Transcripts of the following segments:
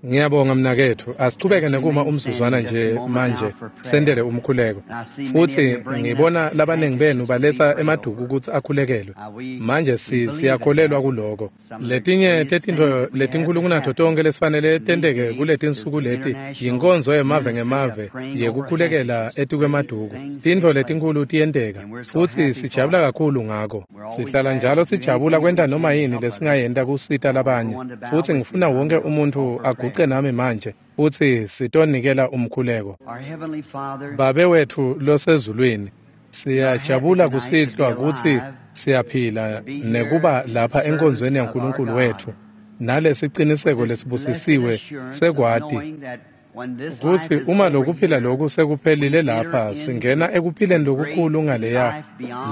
Ngiyabonga mnaketfu, asichubeke nekuma umzuzwana nje manje sendele umkhuleko. Futhi ngibona labaningi benu baletsa emaduku kutsi akhulekelwe. Manje siyakholelwa kuloko. Letinye tetintfo letinkulu kunato tonkhe lesifanele tenteke kuletinsuku leti yinkonzo yemave ngemave yekukhulekela etikwemaduku. Tintfo letinkulu tiyenteka futhi sijabula kakhulu ngako. Sihlala njalo sijabula kwenta noma yini lesingayenta kusita labanye. Futhi ngifuna wonke umuntu aguce nami manje futhi sitonikela umkhuleko. Babe wethu losezulwini, siyajabula kusihlwa kutsi siyaphila nekuba lapha enkonzweni yaNkulunkulu wethu nalesiciniseko lesibusisiwe sekwati kutsi uma lokuphila loku sekuphelile lapha singena ekuphileni lokukhulu ngaleya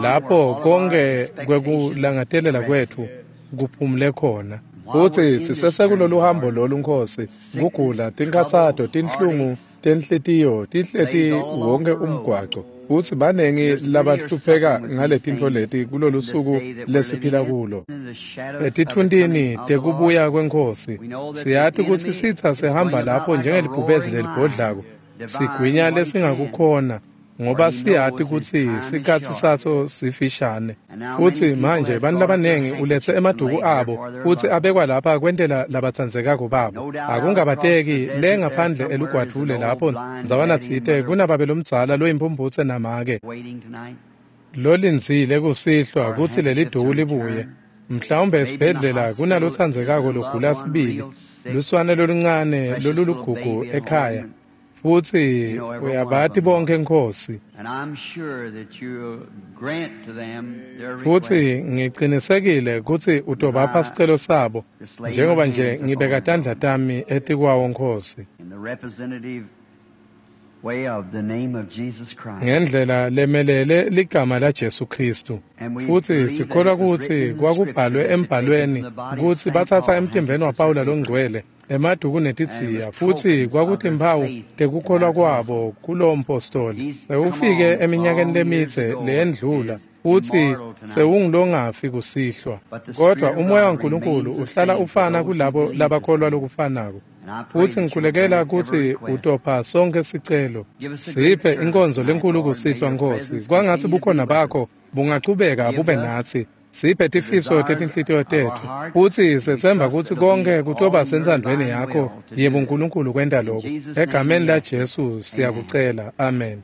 lapho konke kwekulangadelela kwethu kuphumule khona. Futsi sisesekulolu hambo lolu Nkosi, kugula, tinkhatsato, tinhlungu tenhlitiyo tihleti wonke umgwaco. Futsi banengi labahlupheka ngaletintfo leti kulolu suku lesiphila kulo. Etitfuntini tekubuya kweNkhosi, siyati kutsi sitsa sihamba lapho njengelibhubezi lelibhodlako, sigwinya lesingakukhona, ngoba siyati kutsi sikhatsi saso sifishane. Futsi manje bantfu labanengi uletse emaduku abo futsi abekwa lapha kwentela labatsandzekako babo. Akungabateki le ngaphandle elugwadvule lapho ndzawana tsite kunababe lomdzala loyimpumphutse namake lolindzile kusihlwa kutsi leli duku libuye. Mhlawumbe esibhedlela kunalotsandzekako logula sibili, luswane loluncane lolulugugu ekhaya. Futsi uyabati bonke Nkosi. Futsi ngicinisekile kutsi utobapha sicelo sabo njengoba nje ngibeka tandla tami etikwawo Nkosi. Ngendlela lemelele ligama laJesu Kristu. Futsi sikholwa kutsi kwakubhalwe embhalweni kutsi batsatsa emtimbeni waPawula longcwele emaduku netidziya, futsi kwakutimphawu tekukholwa kwabo kulowo mpostoli. Sewufike eminyakeni lemidze leyendlula, futsi sewungulongafi kusihlwa. Kodwa umoya waNkulunkulu uhlala ufana kulabo labakholwa lokufanako. Futsi ngikhulekela kutsi utopha sonke sicelo. Siphe inkonzo lenkulu kusihlwa Nkosi, kwangatsi bukhona bakho bungachubeka bube natsi. Siphe tifiso tetinhlitiyo tetfu, futsi setsemba kutsi konke kutoba sentsandvweni yakho yebuNkulunkulu kwenta lokhu. Egameni laJesu siyakucela, amen.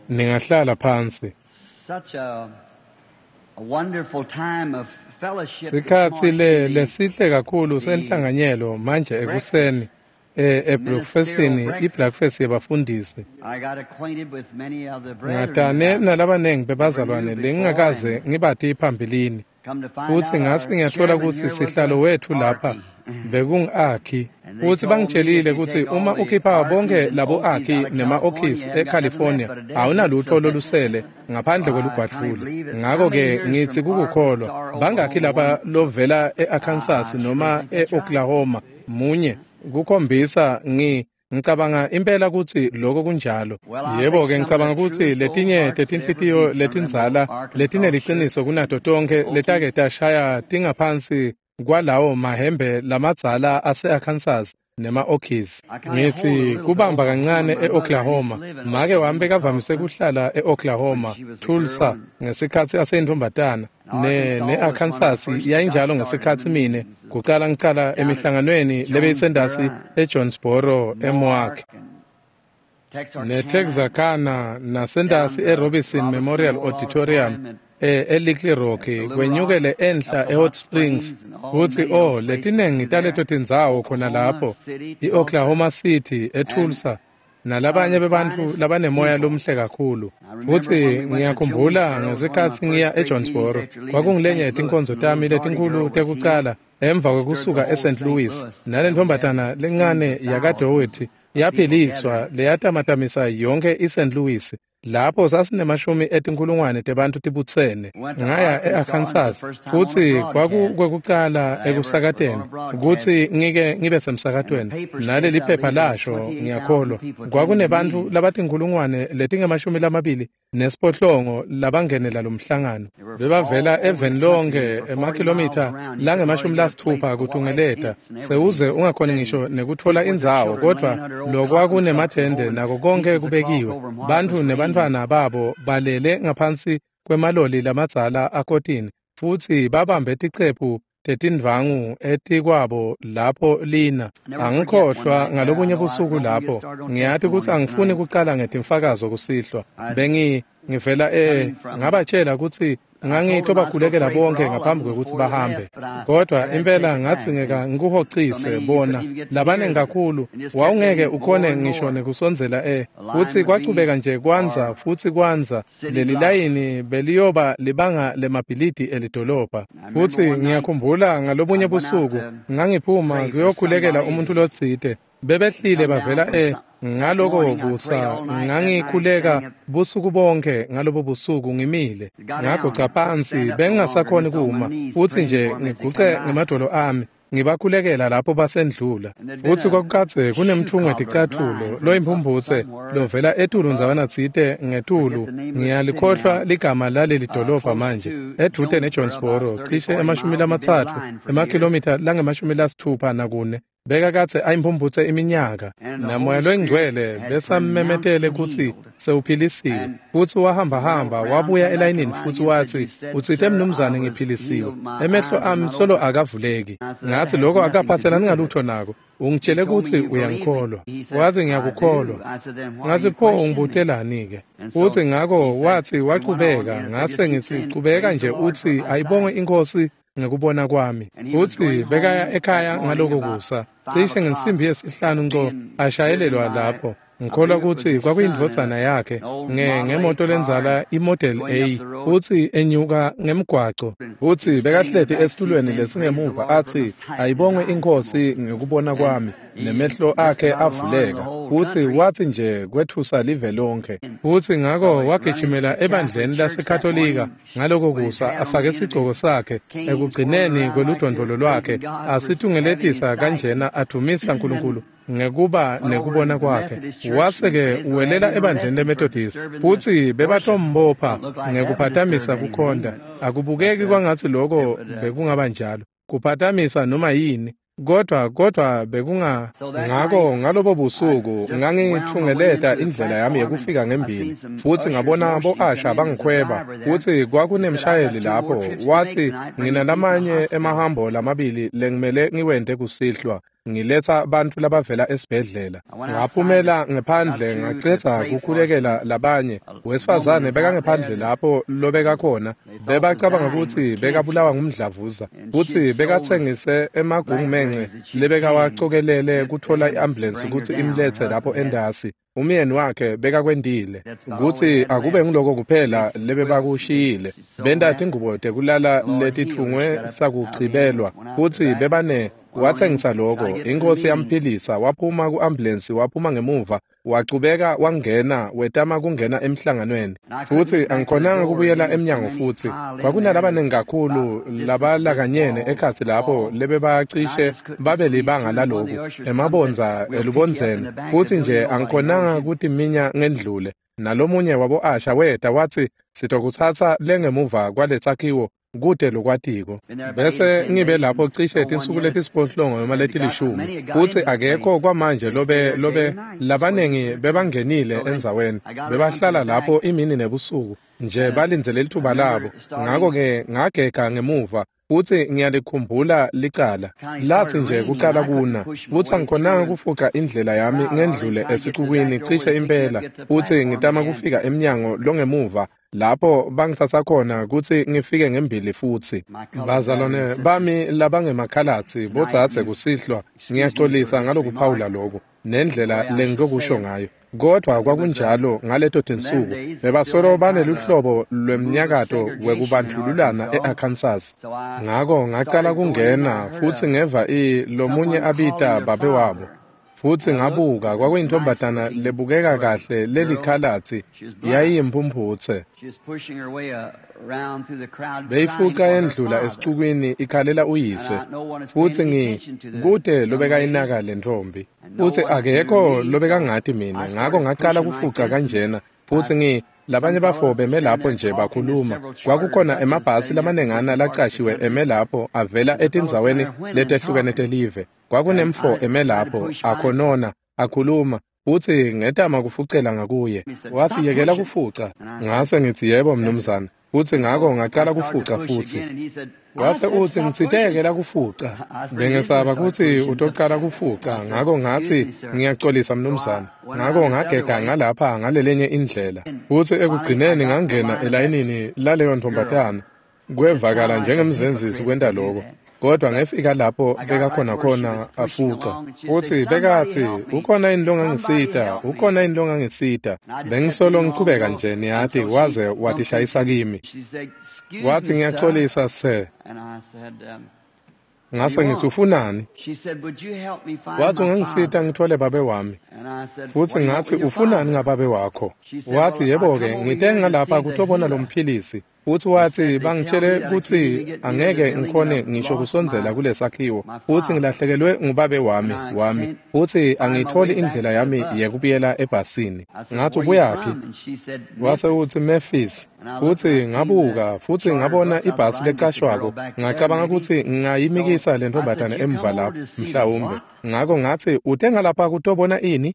Ningahlala phansi. Sikhatsi lesihle kakhulu senhlanganyelo manje ekuseni ebreakfastini, ibreakfast yebafundisi. Ngatane nalabanengi bebazalwane lengingakaze ngibati phambilini. Futsi ngase ngiyathola kutsi sihlalo wethu lapha bekungu-Akhi. Futsi bangitshelile kutsi uma ukhipha bonke labo Akhi nema-Okhis eCalifornia, awunalutho lolusele ngaphandle kwelugwadvule. Ngako-ke ngitsi kukukholwa, bangakhi lapha lovela e-Arkansas noma e-Oklahoma munye kukhombisa ngicabanga impela kutsi lokho kunjalo. Yebo-ke ngicabanga kutsi letinye tetinhlitiyo letindzala letineliciniso kunato tonkhe letake tashaya tingaphansi kwalawo mahembe lamadzala ase-Arkansas nema-Okies. Ngitsi kubamba kancane e-Oklahoma. Make wami bekavamise kuhlala e-Oklahoma, Tulsa, ngesikhatsi aseyintfombatana. Ne-Arkansas yayinjalo ngesikhatsi mine kucala ngicala emihlanganweni lebeyisendasi eJonesboro, eMoark, neTexarkana nasendasi eRobinson Memorial Auditorium eLittle Rock, kwenyukele enhla eHot Springs. Kutsi letinengi taleto tindzawo khona lapho, i-Oklahoma City, eTulsa, nalabanye bebantfu labanemoya lomuhle kakhulu. Futsi ngiyakhumbula ngesikhatsi ngiya eJonesboro, kwakungilenye yetinkonzo tami letinkhulu tekucala emva kwekusuka eSt. Louis, nalentfombatana lencane yakaDoherty yaphiliswa leyatamatamisa yonke iSt. Louis. Lapho sasinemashumi etinkhulungwane tebantfu tibutsene. Ngaya e-Arkansas futsi kwakukwekucala ekusakateni kutsi ngike ngibe semsakatweni. Naleli phepha lasho, ngiyakholwa, kwakunebantfu labatinkhulungwane letingama-28 labangenela lo mhlangano. Bebavela eveni lonke, emakhilomitha langama-60 kutungeleta. Sewuze ungakhoni ngisho nekutfola indzawo, kodvwa lokwakunemathende nako konke kubekiwe. Bantfu nebantfwana babo balele ngaphansi kwemaloli lamadzala akotini futsi babambe ticephu tetindvangu etikwabo lapho lina. Angikhohlwa ngalobunye busuku lapho. Ngiyati kutsi angifuni kucala ngetimfakazo kusihlwa. Ngivela ngabatshela kutsi ngangitobakhulekela bonke ngaphambi kwekutsi bahambe. Kodwa impela ngadzingeka ngikuhocise bona labanengi kakhulu, wawungeke ukhone ngisho nekusondzela futsi kwachubeka nje kwandza futsi kwandza. Leli layini beliyoba libanga lemabhilidi elidolobha. Futsi ngiyakhumbula ngalobunye busuku ngangiphuma kuyokhulekela umuntu lotsite. Bebehlile bavela ngaloko kusa ngangikhuleka busuku bonke. Ngalobo busuku ngimile ngaguca phansi, bengingasakhoni kuma, futsi nje ngiguce ngemadolo ami ngibakhulekela lapho basendlula. Futsi kwakukadze kunemtfungo weticatfulo loyimphumputse lovela etulu ndzawana tsite ngetulu. Ngiyalikhohlwa ligama laleli dolobha manje, edvute neJonesboro, cishe 30 emakhilomitha langama-64. Bekakadze ayimphumputse iminyaka, naMoya loyiNgcwele besammemetele kutsi sewuphilisiwe. Futsi wahambahamba wabuya elayinini futsi watsi, "Utsite mnumzane ngiphilisiwe, emehlo ami solo akavuleki." Ngatsi, "Lokho akaphatselani ngalutho nako. Ungitshele kutsi uyangikholwa." Watsi, "Ngiyakukholwa." Ngatsi, "Pho ungibutelani-ke?" Futsi ngako watsi wachubeka. Ngase ngitsi, "Chubeka nje utsi ayibongwe iNkhosi ngekubona kwami." Futsi bekaya ekhaya ngaloko kusa, cishe ngensimbi yesihlanu nco, ashayelelwa lapho. Ngikholwa kutsi kwakuyindvodzana yakhe ngemoto lendzala iModel A, futsi enyuka ngemgwaco. Futsi bekahleti esitulweni lesingemuva atsi, "Ayibongwe iNkhosi ngekubona kwami," nemehlo akhe avuleka. Futsi watsi nje kwetfusa live lonke. Futsi ngako wagijimela ebandleni laseKatolika ngaloko kusa, afake sigcoko sakhe ekugcineni kweludondvolo lwakhe, asitungeletisa kanjena, advumisa Nkulunkulu ngekuba nekubona kwakhe. Wase-ke uwelela ebandleni leMethodist, futsi bebatombopha ngekuphatamisa kukhonta. Akubukeki kwangatsi loko bekungaba njalo, kuphatamisa noma yini, kodwa bekunga. Ngako ngalobo busuku ngangithungeleta indlela yami yekufika ngembili, futsi ngabona bo-asha bangikhweba. Futsi kwakunemshayeli lapho, watsi, "Nginalamanye emahambo lamabili lengimele ngiwente kusihlwa, ngiletsa bantfu labavela esibhedlela." Ngaphumela ngephandle ngacedza kukhulekela labanye. Wesifazane bekangephandle lapho lobekakhona, bebacabanga kutsi bekabulawa ngumdlavuza, futsi bekatsengise emagungumence lebekawacokelele kutfola i-ambulensi kutsi imletse lapho endasi. Umyeni wakhe bekakwentile kutsi akube nguloko kuphela lebebakushiyile. Benta tingubo tekulala letitfungwe sakuchibelwa, futsi bebane watsengisa loko. Inkosi yamphilisa. Waphuma ku-ambulensi, waphuma ngemuva, wachubeka wangena, wetama kungena emhlanganweni. Futsi angikhonanga kubuyela emnyango, futsi kwakunalabanengi kakhulu labalakanyene ekhatsi lapho lebebacishe babe libanga laloku emabondza elubondzeni. Futsi nje angikhonanga kutiminya ngendlule. Nalomunye wabo-asha weta watsi, "Sitokutsatsa lengemuva kwaletsakhiwo kute lokwatiko." Bese ngibe lapho cishe tinsuku letisiphohlongo noma letilishumi, futsi akekho kwamanje lobe labanengi bebangenile endzaweni. Bebahlala lapho imini nebusuku nje balindzele lithuba labo. Ngako-ke ngagega ngemuva, futsi ngiyalikhumbula licala latsi nje kucala kuna, futsi angikhonanga kufuca indlela yami ngendlule esicukwini cishe impela, futsi ngitama kufika emnyango longemuva lapho bangitsatsa khona kutsi ngifike ngembili. Futsi bazalwane bami labangemakhalatsi, bodzadze kusihlwa, ngiyaxolisa ngalokuphawula loku nendlela lengitokusho ngayo, kodvwa kwakunjalo ngaleto tinsuku. Bebasolo baneluhlobo lwemnyakato wekubandlululana e-Arkansas. Ngako ngacala kungena, futsi ngeva lomunye abita babe wabo. Futsi ngabuka, kwakuyintombazana lebukeka kahle lelikhalatsi, yayiyimphumphutse. Beyifuca yendlula esicukwini ikhalela uyise. Futsi kute lobekayinaka lentfombi. Futsi akekho lobekangati mina, ngako ngacala kufuca kanjena. Futsi labanye bafo beme lapho nje bakhuluma. Kwakukhona emabhasi lamanengana laqashiwe eme lapho avela etindzaweni letehlukene telive. Kwakunemfo eme lapho akhonona akhuluma, futsi ngetama kufucela ngakuye. Wathi, yekela kufuca. Ngase ngithi, yebo mnumzane. Futsi ngako ngacala kufuca futsi. Wase utsi, ngitsite yekela kufuca. Bengesaba kutsi utocala kufuca, ngako ngatsi, ngiyacolisa mnumzane. Ngako ngagega ngalapha ngalelenye indlela. Futsi ekugcineni ngangena elayinini laleyo ntombazana. Kwevakala njengemzenzisi kwenta lokho. Kodwa ngefika lapho bekakhona khona afuca. Futsi bekathi, ukhona yini longangisita? Ukhona yini longangisita? Bengisolo ngichubeka nje, niyati, waze watishayisa kimi. Wathi, ngiyaxolisa sir. Ngase ngithi, ufunani? Wathi, ungangisita ngithole babe wami. Futsi ngathi, ufunani ngababe wakho? Wathi, yebo-ke, ngite ngalapha kutobona lo mphilisi. Futsi wathi, bangitshele kutsi angeke ngikhone ngisho kusondzela kulesakhiwo. Futsi ngilahlekelwe ngubabe wami. Futsi angiyitholi indlela yami yekubuyela ebhasini. Ngathi, ubuyaphi? Wase utsi, Memphis. Futsi ngabuka, futsi ngabona ibhasi lecashwako. Ngacabanga kutsi ngingayimikisa le ntombazane emva lapho, mhlawumbe. Ngako ngathi, ute ngalapha kutobona ini?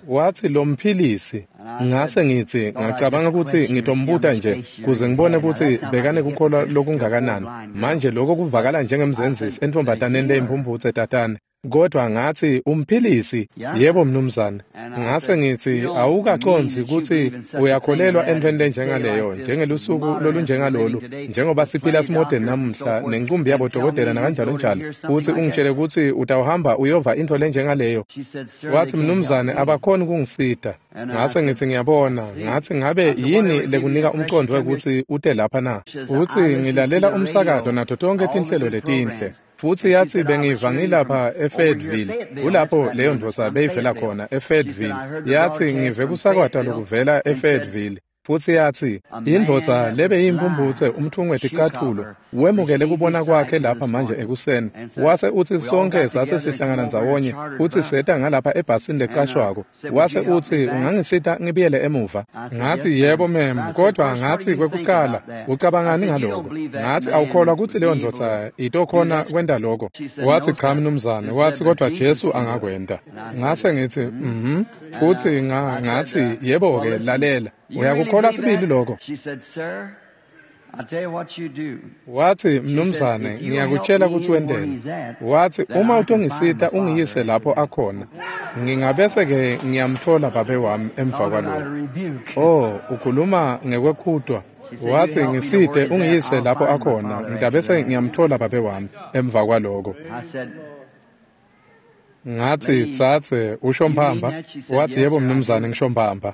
Wathi, lo mphilisi. Ngase ngithi, ngacabanga kutsi ngitombuta nje kuze ngibone kutsi bekanekukholwa lokungakanani. Manje lokho kuvakala njengemzenzisi entombazaneni leyimphumphutse tatane. Kodwa ngathi, umphilisi? Yebo mnumzane. Ngase ngithi, awukacondzi kutsi uyakholelwa entweni lenjengaleyo, njengelusuku lolunjengalolu, njengoba siphila simodeni namuhla nencumbi yabodokotela nakanjalo njalo, futsi ungitshele kutsi utawuhamba uyova intfo lenjengaleyo. Wathi, mnumzane, abakhoni kungisita. Ngase ngithi, ngiyabona. Ngathi, ngabe yini lekunika umcondvo wekutsi ute lapha na? Futsi ngilalela umsakato nato tonkhe tinhlelo letinhle. Futsi yathi, bengiva ngilapha eFayetteville, kulapho leyo ndvodza beyivela khona eFayetteville. Yathi, ngive kusakatwa lokuvela eFayetteville. Futsi yathi, indvodza lebeyimphumphutse umthungo weticathulo wemukele kubona kwakhe lapha manje ekuseni. Wase utsi, sonke sase sihlangana ndzawonye futsi seta ngalapha ebhasini lecashwako. Wase utsi, ungangisita ngibuyele emuva? Ngathi, yebo mem, kodwa ngathi, kwekucala, ucabangani ngaloko? Ngathi, awukholwa kutsi leyo ndvodza itokhona kwenta lokho? Wathi, cha mnumzane. Wathi, kodwa Jesu angakwenta. Ngase ngithi, Futsi ngathi, yebo-ke, lalela. Uyakukholwa sibili lokho? Wathi, mnumzane, ngiyakutshela kutsi wenteni. Wathi, uma utongisita ungiyise lapho akhona, ngingabese-ke ngiyamthola babe wami emva kwalokho. Oh, ukhuluma ngekwekhutwa. Wathi, ngisite ungiyise lapho akhona, ngidabese ngiyamthola babe wami emva kwalokho. Ngathi, tsatse, usho mbamba? Wathi, yebo mnumzane, ngisho mbamba.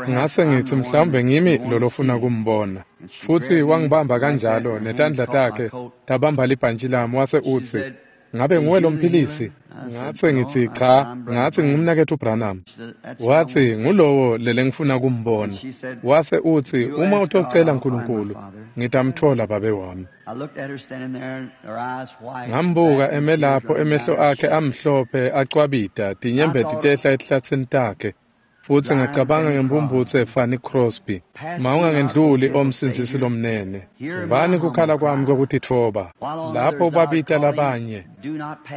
Ngase ngithi, mhlawumbe ngimi lolofuna kumbona. Futsi wangibamba kanjalo netandla takhe tabamba libhantshi lami, wase utsi, ngabe nguwe lo mphilisi? Ngase ngithi, cha. Ngathi, ngumnaketfu Branham. Wathi, ngulowo lelengifuna kumbona. Wase utsi, uma utocela uNkulunkulu, ngitamthola babe wami. Ngambuka eme lapho, emehlo akhe amhlophe acwabita, tinyembeti tehla etihlatsini takhe. Futsi ngacabanga ngempumphutse Fanny Crosby. Mawungangendluli omsindzisi lomnene. Vani kukhala kwami kwekutitfoba. Lapho babita labanye.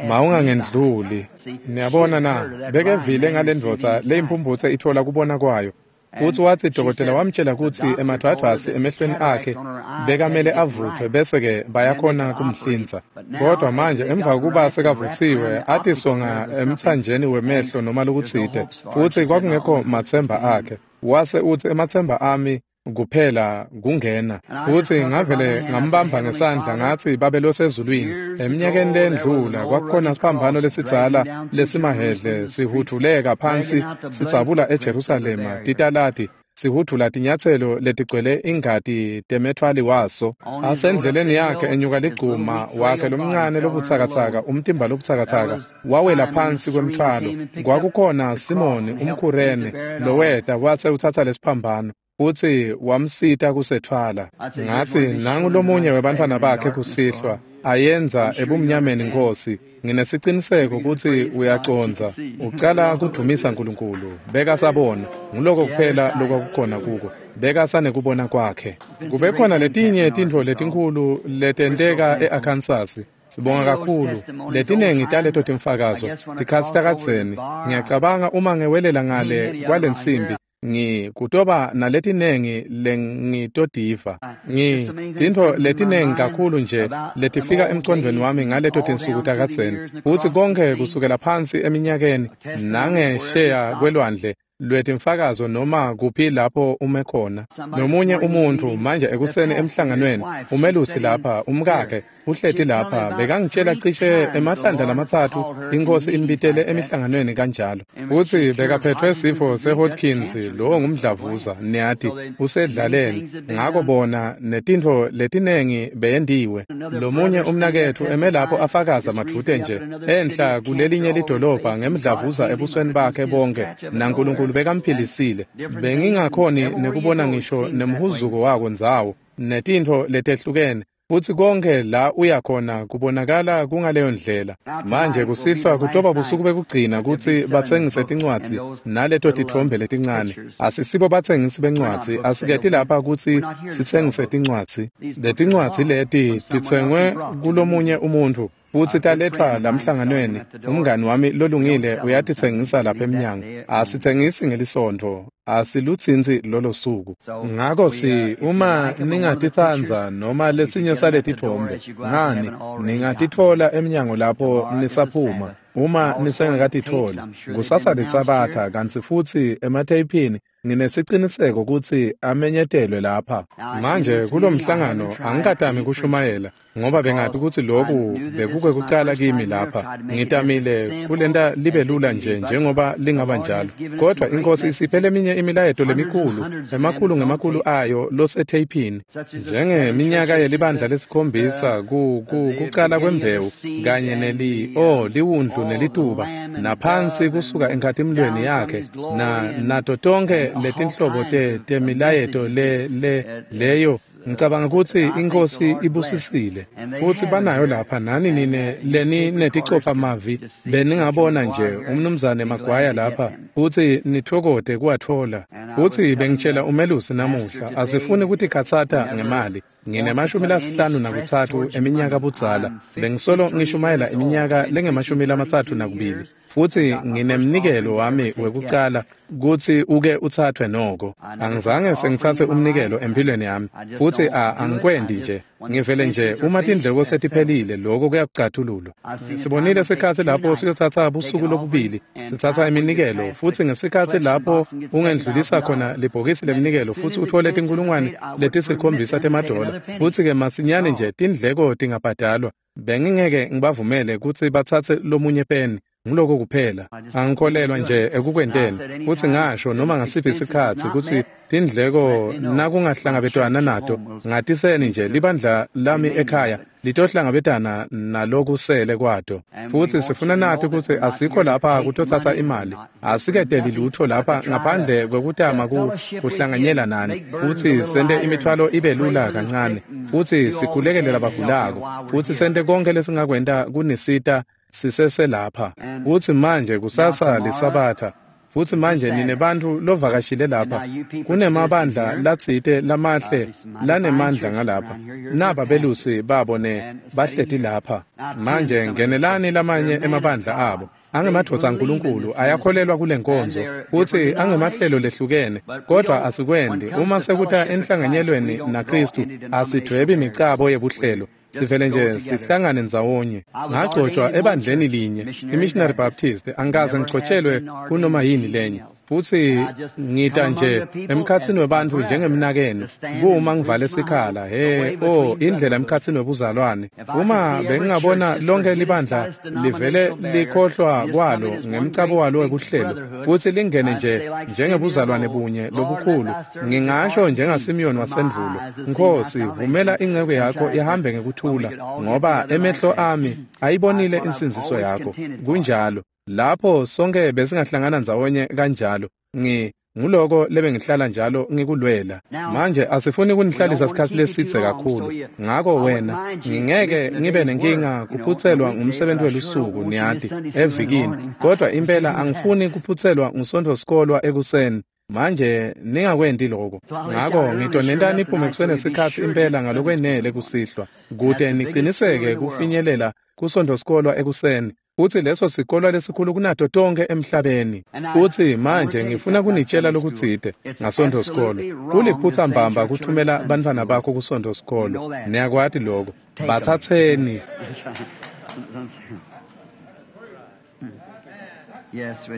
Mawungangendluli. Niyabona na, bekevile ngalendvodza leyimphumphutse ithola kubona kwayo. Futsi watsi dokotela wamtshela kutsi emadvwadvwasi emehlweni akhe bekamele avuthwe bese-ke bayakhona kumhlinza. Kodwa manje emva kuba sekavutsiwe atisonga emtsanjeni wemehlo noma lokutsite, futsi kwakungekho matsemba akhe. Wase utsi, ematsemba ami kuphela kungena. Futsi ngavele ngambamba ngesandla ngathi, babe losezulwini, eminyakeni lendlula kwakukhona siphambano lesidzala lesimahedle sihudvuleka phansi sidzabula eJerusalema titaladi. sihudvula tinyatselo letigcwele ingati temetfwali waso. Asendleleni yakhe enyuka ligcuma wakhe lomncane lobutsakatsaka, umtimba lobutsakatsaka wawela phansi kwemtfwalo. Kwakukhona Simoni umKhurene loweta wase utsatsa lesiphambano futsi wamsita kusetfwala. Ngatsi, nangu lomunye webantfwana bakhe kusihlwa ayenza ebumnyameni, Nkosi. Nginesiciniseko kutsi uyacondza. Ucala kudvumisa Nkulunkulu. Bekasabona. Nguloko kuphela lokwakukhona kuko. Bekasanekubona kwakhe. Kube khona letinye tintfo letinkhulu letenteka e-Arkansas. Sibonga kakhulu. Letinengi taleto timfakazo tikhatsi takadzeni. Ngiyacabanga uma ngewelela ngale kwalensimbi, kutoba naletinengi lengitotiva. Tintfo letinengi kakhulu nje letifika emcondvweni wami ngaleto tinsuku takadzeni. Futsi konke kusukela phansi eminyakeni nangesheya kwelwandle lwetimfakazo noma kuphi lapho ume khona. Nomunye umuntfu manje ekuseni emhlanganweni, umelusi lapha, umkakhe uhleti lapha, bekangitshela cishe emahlandla lamatsatfu iNkhosi imbitele emihlanganweni kanjalo. Futsi bekaphethwe sifo seHodgkins, lowo ngumdlavuza, niyati, usedlaleni. Ngako bona netintfo letinengi beyendiwe. Lomunye umnaketfu eme lapho afakaza madvute nje enhla kulelinye lidolobha ngemdlavuza ebusweni bakhe bonke, naNkulunkulu bekamphilisile. Bengingakhoni nekubona ngisho nemhuzuko wako ndzawo netintfo letehlukene. Futsi konke la uya khona kubonakala kungaleyo ndlela. Manje kusihlwa kutoba busuku bekugcina kutsi batsengise tincwadzi naleto titfombe letincane. Asisibo batsengisi bencwadzi, asiketi lapha kutsi sitsengise tincwadzi. Letincwadzi leti titsengwe kulomunye umuntfu futsi taletfwa lamhlanganweni. Umngani wami lolungile uyatitsengisa lapha emnyango. Asitsengisi ngelisontfo, asilutsintsi lolo suku. Ngako uma ningatitsandza noma lesinye saletitfombe, ngani ningatitfola emnyango lapho nisaphuma. Uma nisengakatitfoli, kusasa liSabatha, kantsi futsi ematheyiphini nginesiciniseko kutsi amenyetelwe lapha. Manje kulomhlangano angikatami kushumayela, ngoba bengati kutsi loku bekukwekucala kimi lapha. Ngitamile kulenta libe lula nje njengoba lingaba njalo. Kodwa iNkhosi isiphe leminye imilayeto lemikhulu, emakhulu ngemakhulu ayo losetheyiphini, njengeminyaka yelibandla lesikhombisa, kucala kwembewu kanye liwundlu nelituba, naphansi kusuka enkhatimlweni yakhe, nato tonkhe letinhlobo temilayeto leyo. Ngicabanga kutsi iNkhosi ibusisile. Futsi banayo lapha nani nine leni neticopha mavi, beningabona nje umnumzane Magwaya lapha futsi nitfokote kuwatfola. Futsi bengitshela umelusi namuhla, asifuni kutikhatsata ngemali. Ngine-53 eminyaka budzala, bengisolo ngishumayela iminyaka lengema-32, futsi nginemnikelo wami wekucala kutsi uke utsathwe noko. Angizange sengitsatse umnikelo empilweni yami, futsi angikwendi nje. Ngivele nje uma tindleko setiphelile, lokho kuyakucathululwa. Sibonile sikhatsi lapho siyotsatsa busuku lobubili sitsatsa iminikelo, futsi ngesikhatsi lapho ungendlulisa khona libhokisi leminikelo futsi uthole 7,000 temadola, futsi-ke masinyane nje tindleko tingabhadalwa. Bengingeke ngibavumele kutsi batsatse lomunye peni. Nguloko kuphela. Angikholelwa nje ekukwenteni. Futsi ngasho noma ngasiphi sikhatsi kutsi tindleko nakungahlangabetwana nato, ngatiseni nje libandla lami ekhaya litohlangabetana nalokusele kwato. Futsi sifuna nathi kutsi asikho lapha kutotsatsa imali. Asiketeli lutho lapha ngaphandle kwekutama kuhlanganyela nani, futsi sente imithwalo ibe lula kancane, futsi sikhulekele labagulako, futsi sente konke lesingakwenta kunisita siseselapha. Futsi manje kusasa liSabatha. Futsi manje ninebantfu lovakashile lapha. Kunemabandla latsite lamahle lanemandla ngalapha. Naba belusi babo bahleti lapha. Manje ngenelani lamanye emabandla abo. Angemadvodza aNkulunkulu ayakholelwa kule nkonzo, futsi angemahlelo lehlukene, kodwa asikwendi. Uma sekuta enhlanganyelweni naKhristu, asidvwebi micabo yebuhlelo. Sivele nje sihlangane ndzawonye. Ngagcotshwa ebandleni linye, iMissionary Baptist, angikaze ngigcotshelwe kunoma yini lenye. Futsi ngita nje emkhatsini webantfu njengemnakenu, kuma ngivale sikhala, he, oh, indlela emkhatsini webuzalwane. Uma bengingabona lonke libandla livele likhohlwa kwalo ngemcabo walo wekuhlelo, futsi lingene nje njengebuzalwane bunye lobukhulu, ngingasho njengaSimiyoni wasendvulo, Nkhosi, vumela inceku yakho ihambe ngekuthula, ngoba emehlo ami ayibonile insindziso yakho. Kunjalo. Lapho sonke besingahlangana ndzawonye kanjalo. Nguloko lebengihlala njalo ngikulwela. Manje asifuni kunihlalisa sikhatsi lesidze kakhulu. Ngako wena, ngingeke ngibe nenkinga kuphutselwa ngumsebenzi welusuku, niyati, evikini. Kodwa impela angifuni kuphutselwa ngusontfosikolwa ekuseni. Manje ningakwenti lokho. Ngako ngitonenta niphume kusenesikhatsi impela ngalokwenele kusihlwa, kute niciniseke kufinyelela kusontfosikolwa ekuseni. Futsi leso sikolwa lesikhulu kunato tonkhe emhlabeni. Futsi manje ngifuna kunitshela lokutsite ngasontfosikolo. Kuliphutsa mbamba kuthumela bantfwana bakho kusontfosikolo. Niyakwati lokho. Batsatseni.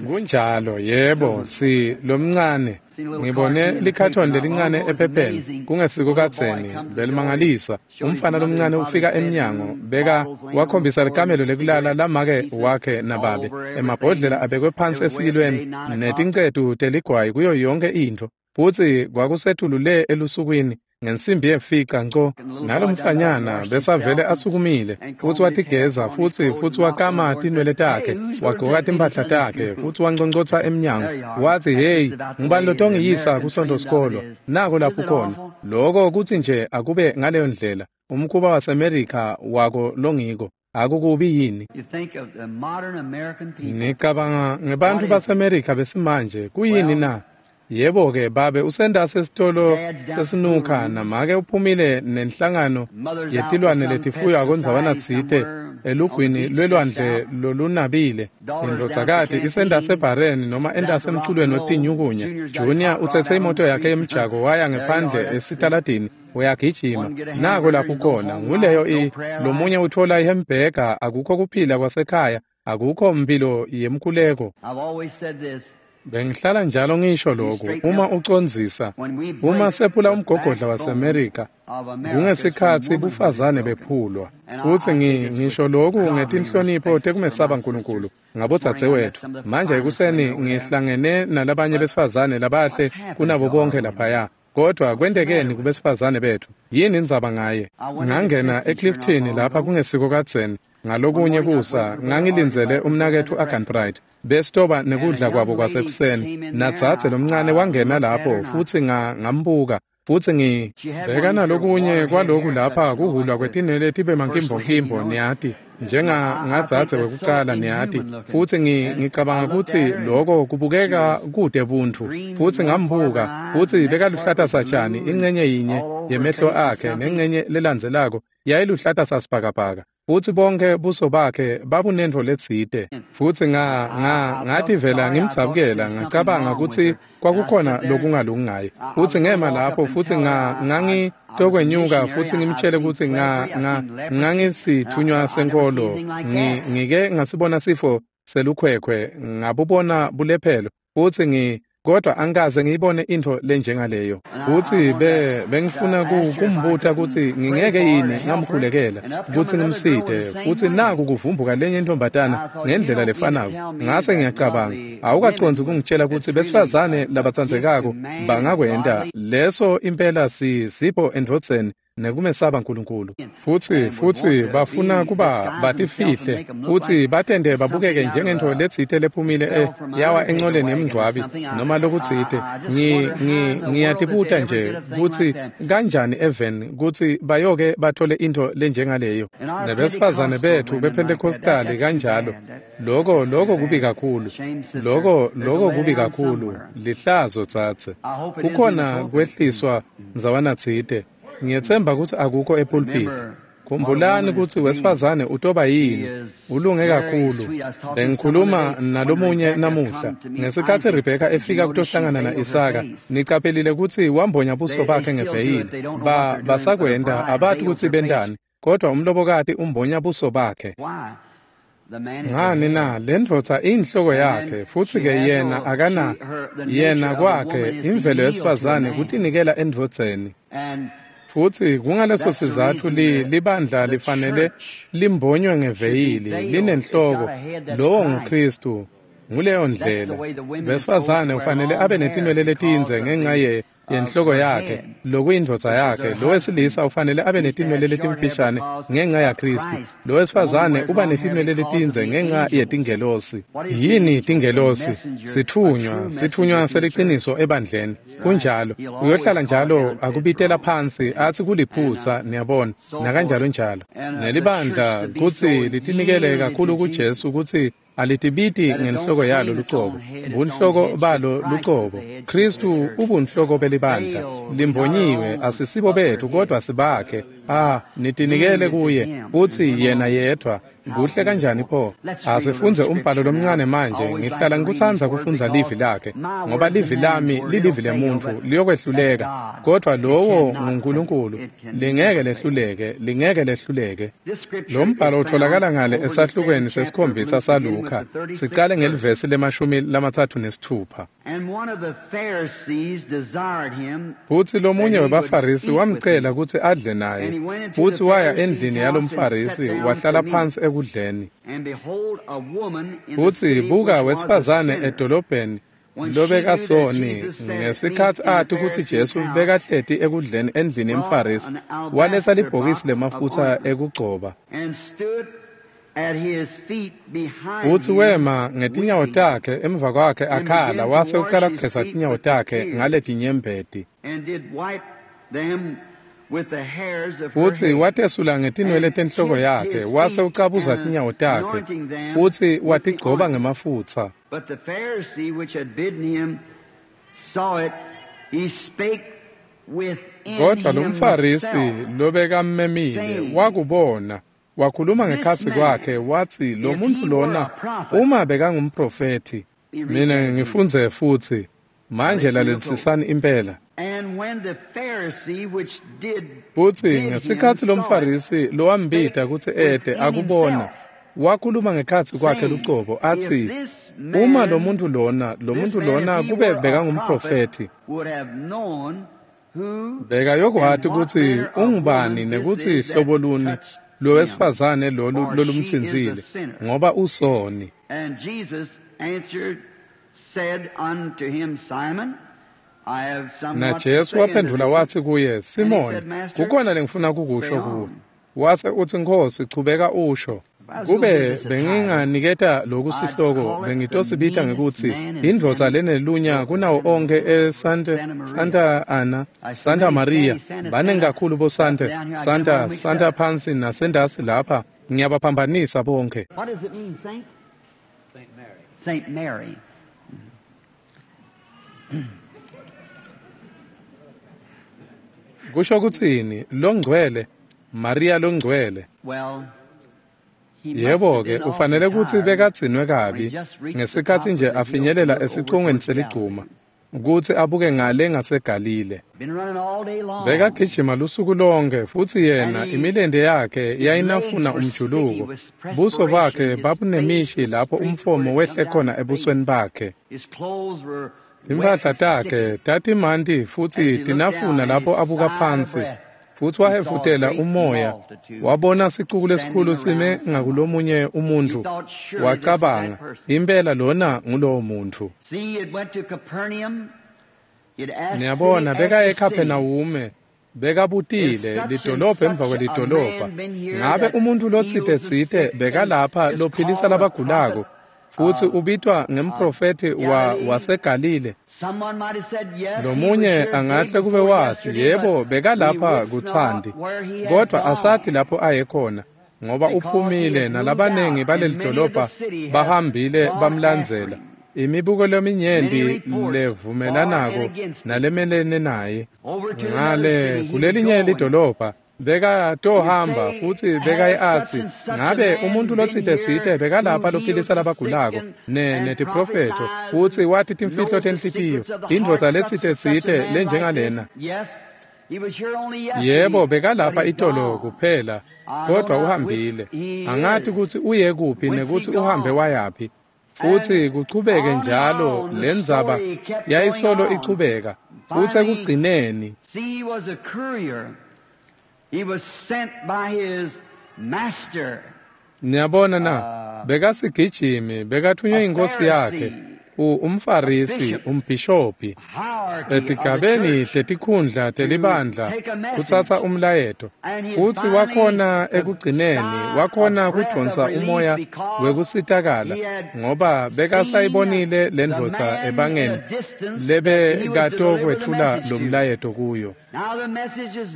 Kunjalo, yebo, si lomncane. Ngibone likhathoni lelincane ephepheni, kungesiko kadzeni, belimangalisa. Umfana lomncane ufika emnyango, beka wakhombisa likamelo lekulala lamake wakhe nababe. Emabhodlela abekwe phansi esiyilweni, netincetu teligwayi kuyo yonke intfo. Futsi kwakusetulu le elusukwini ngensimbi yemfica nco, nalomfanyana besavele asukumile, futsi watigeza, futsi wakama tinwele takhe, wagqoka timphahla takhe, futsi wanconcotsa emnyango, watsi, "Hey, ngubani lotongiyisa kusontfosikolo?" Nako lapho khona. Loko kutsi nje akube ngaleyo ndlela, umkhuba waseMerika wako longiko. Akukubi yini? Ngicabanga ngebantfu baseMerika besimanje, kuyini na? Yebo-ke, babe usendase esitolo sesinukha, namake uphumile nenhlangano yetilwane letifuywa ndzawana tsite elugwini lwelwandle lolunabile. Indvodzakati isendase ebhareni noma endase emculweni wetinyukunya. Junior utsetse imoto yakhe yemjako waya ngephandle esitaladini, uyagijima. Nako lapho khona, nguleyo lomunye utfola ihembhega, akukho kuphila kwasekhaya, akukho mphilo yemkhuleko. Bengihlala njalo ngisho lokhu, uma ucondzisa, uma sephula umgogodla waseMerika, kungesikhatsi bufazane bephulwa. Futsi ngisho lokhu ngetinhlonipho tekumesaba Nkulunkulu ngabodzadzewethu. Manje ekuseni ngihlangene nalabanye besifazane labahle kunabo bonke laphaya. Kodwa kwentekeni kubesifazane bethu? Yini indzaba ngaye? Ngangena eClifton lapha kungesiko kadzeni. Ngalokunye kusa ngangilindzele umnaketfu Agan Bright besitoba nekudla kwabo kwasekuseni. Nadzadze lomncane wangena lapho, futsi ngambuka, futsi ngibheka nalokunye kwaloku lapha kuhulwa kwetinwele tibe mankimbonkimbo, niyati, njengangadzadze wekucala, niyati. Futsi ngicabanga kutsi loko kubukeka kude buntfu. Futsi ngambuka, futsi bekaluhlata satjani incenye yinye yemehlo akhe, nencenye lelandzelako yayiluhlata sasibhakabhaka. Futsi bonke buso bakhe babunentfo letsite. Futsi ngativela ngimdzabukela, ngacabanga kutsi kwakukhona lokungalungi ngaye. Futsi ngema lapho, futsi ngangitokwenyuka futsi ngimtshele kutsi ngangisitfunywa senkolo. Ngike ngasibona sifo selukhwekhwe, ngabubona bulephelo, futsi kodwa angikaze ngiyibone intfo lenjengaleyo. Futsi bengifuna kumbuta kutsi ngingeke yini ngamkhulekela kutsi ngimsite. Futsi naku kuvumbuka lenye intombatana ngendlela lefanako. Ngase ngiyacabanga, awukacondzi kungitshela kutsi besifazane labatsandzekako bangakwenta leso impela sipho endvodzeni nekumesaba Nkulunkulu. Futsi bafuna kuba batifihle, futsi batende babukeke njengentfo letsite lephumile yawa encoleni yemngcwabi noma lokutsite. Ngiyatibuta nje kutsi kanjani even kutsi bayoke bathole intfo lenjengaleyo. Nebesifazane bethu bePhentekhostali kanjalo. Loko kubi kakhulu. Loko kubi kakhulu. Lihlazo tsatse. Kukhona kwehliswa ndzawana tsite. Ngiyetsemba kutsi akukho epulpiti. Khumbulani kutsi wesifazane utoba yini, ulunge kakhulu. Bengikhuluma nalomunye namuhla. Ngesikhatsi Rebheka efika kutohlangana na-Isaka, nicaphelile kutsi wambonya buso bakhe ngeveyili. Basakwenta, abati kutsi bentani, kodwa umlobokati umbonya buso bakhe. Ngani na lendvodza iyinhloko yakhe, futsi-ke yena akana yena kwakhe imvelo yesifazane kutinikela endvodzeni. Futsi kungaleso sizatfu libandla lifanele limbonywe ngeveyili linenhloko, lowo nguKhristu. Nguleyo ndlela besifazane ufanele abe netinwele letindze ngenxa yenhloko yakhe, lokuyindvodza yakhe. Lowesilisa ufanele abe netinwele letimfishane ngenxa yaKhristu. Lowesifazane uba netinwele letindze ngenxa yetingelosi. Yini tingelosi? Sitfunywa, sitfunywa seliciniso ebandleni. Kunjalo, uyohlala njalo akubitela phansi athi kuliphutsa, niyabona, nakanjalo njalo. Nelibandla kutsi litinikele kakhulu kuJesu kutsi alitibiti ngenhloko yalo lucobo, bunhloko balo lucobo. Khristu ubunhloko belibandla, limbonyiwe, asisibo bethu kodwa sibakhe. Nitinikele kuye, futsi yena yedvwa. Kuhle kanjani pho? Asifunze umbhalo lomncane manje. Ngihlala ngikutsandza kufundza livi lakhe, ngoba livi lami lilivi lemuntfu, liyokwehluleka, kodwa lowo nguNkulunkulu, lingeke lehluleke, lingeke lehluleke. Lo mbhalo utholakala ngale esahlukweni sesikhombisa saLuka, sicale ngelivesi le-36. Futsi lomunye webaFarisi wamcela kutsi adle naye, futsi waya endlini yalomFarisi wahlala phansi ekudleni. Futsi buka wesifazane edolobheni lobekasoni, ngesikhatsi ati kutsi Jesu bekahleti ekudleni endlini yemFarisi, waletsa libhokisi lemafutsa ekugcoba. Futsi wema ngetinyawo takhe emva kwakhe akhala, wase ucala kugeza tinyawo takhe ngaletinyembeti. Futsi watesula ngetinwele tenhloko yakhe, wase ucabuza tinyawo takhe, futsi watigcoba ngemafutsa. Kodwa lomFarisi lobekammemile wakubona, wakhuluma ngekhatsi kwakhe, watsi lo muntu lona uma bekangumprofethi. Mina ngifundze futsi manje lalelisisani impela. Futsi ngesikhatsi lomFarisi lowambita kutsi ete akubona, wakhuluma ngekhatsi kwakhe lucobo atsi, uma lo muntu lona kube bekangumprofethi, bekayokwati kutsi ungubani nekutsi hlobo luni lowesifazane lolu lolumtsintsile, ngoba usoni. NaJesu waphendvula watsi kuye, Simoni, kukhona lengifuna kukusho kuwe. Wase utsi, Nkhosi, chubeka usho. Kube benginganiketa loku sihloko, bengitosibita ngekutsi indvodza lenelunya kunawo onkhe eSanta Ana, Santa Maria. Baningi kakhulu boSanta, Santa, Santa phansi nasendasi lapha, ngiyabaphambanisa bonke. Saint Mary. Kusho kutsini longcwele, Maria longcwele? Yebo-ke, ufanele kutsi bekadzinwe kabi ngesikhatsi nje afinyelela esicongweni seligcuma kutsi abuke ngale ngaseGalile. Bekagijima lusuku lonke, futsi yena imilente yakhe yayinafuna umjuluko. Buso bakhe babunemishi lapho umfomo wehle khona ebusweni bakhe. Timphahla takhe tatimanti futsi tinafuna lapho abuka phansi. Futsi wahefutela umoya, wabona sicuku lesikhulu sime ngakulomunye umuntfu, wacabanga, impela lona ngulowo muntfu. Niyabona, bekaye eKhaphenawume, bekabutile lidolobha emva kwelidolobha, ngabe umuntfu lotsite-tsite bekalapha lophilisa labagulako, futsi ubitwa ngemprofethi waseGalile. Lomunye angahle kube watsi, yebo, bekalapha kutsandi, kodwa asathi lapho aye khona, ngoba uphumile nalabanengi balelidolobha bahambile bamlandzela. Imibuko leminyenti levumelanako nalemelene naye. Ngale kulelinye lidolobha bekatohamba futsi bekaye atsi, ngabe umuntu lotsite-tsite bekalapha lophilisa labagulako netiprofetho, futsi wati timfihlo tenhlitiyo, indvodza letsite-tsite lenjengalena. Yebo, bekalapha itolo kuphela, kodwa uhambile. Angathi kutsi uye kuphi nekutsi uhambe wayaphi. Futsi kuchubeke njalo lendzaba yayisolo ichubeka. Futsi ekugcineni niyabona na, bekasigijimi, bekathunywe inkosi yakhe, umFarisi, umbhishobhi, etigabeni tetikhundla telibandla kutsatsa umlayeto. Futsi wakhona ekugcineni, wakhona kudonsa umoya wekusitakala, ngoba bekasayibonile lendvodza ebangeni lebekatokwetfula lo mlayeto kuyo.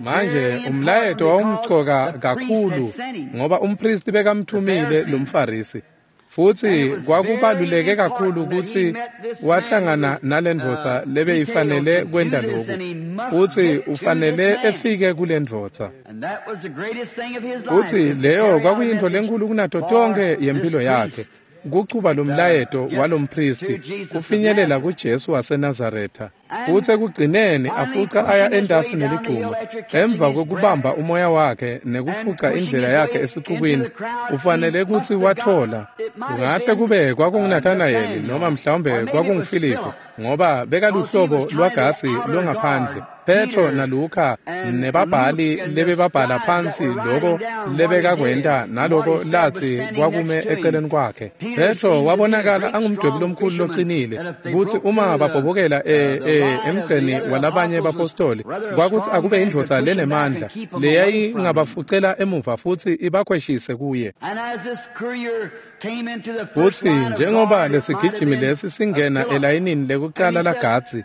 Manje umlayeto wawumcoka kakhulu ngoba umpristi bekamthumile lo mFarisi. Futsi kwakubaluleke kakhulu kutsi wahlangana nalendvodza lebeyifanele kwenta loku, futsi ufanele efike kulendvodza. Futsi leyo kwakuyintfo lenkhulu kunato tonkhe yempilo yakhe, kuchuba lo mlayeto walompristi kufinyelela kuJesu waseNazaretha. Futsi ekugcineni afuca aya entasi neligcuma, emva kwekubamba umoya wakhe nekufuca indlela yakhe esixukwini, ufanele kutsi watfola. Kungahle kube kwakunguNathanayeli noma mhlawumbe kwakunguFiliphu, ngoba bekaluhlobo lwagatsi longaphandle. Petro naLuka nebabhali lebebabhala phansi loko lebekakwenta naloko latsi kwakume eceleni kwakhe. Petro wabonakala angumdwebi lomkhulu locinile, kutsi uma babhobokela emgceni walabanye bapostoli, kwakutsi akube indvodza lenemandla leyayingabafucela emuva futsi ibakhweshise kuye. Futsi njengoba lesigijimi lesi singena elayinini lekucala lagatsi,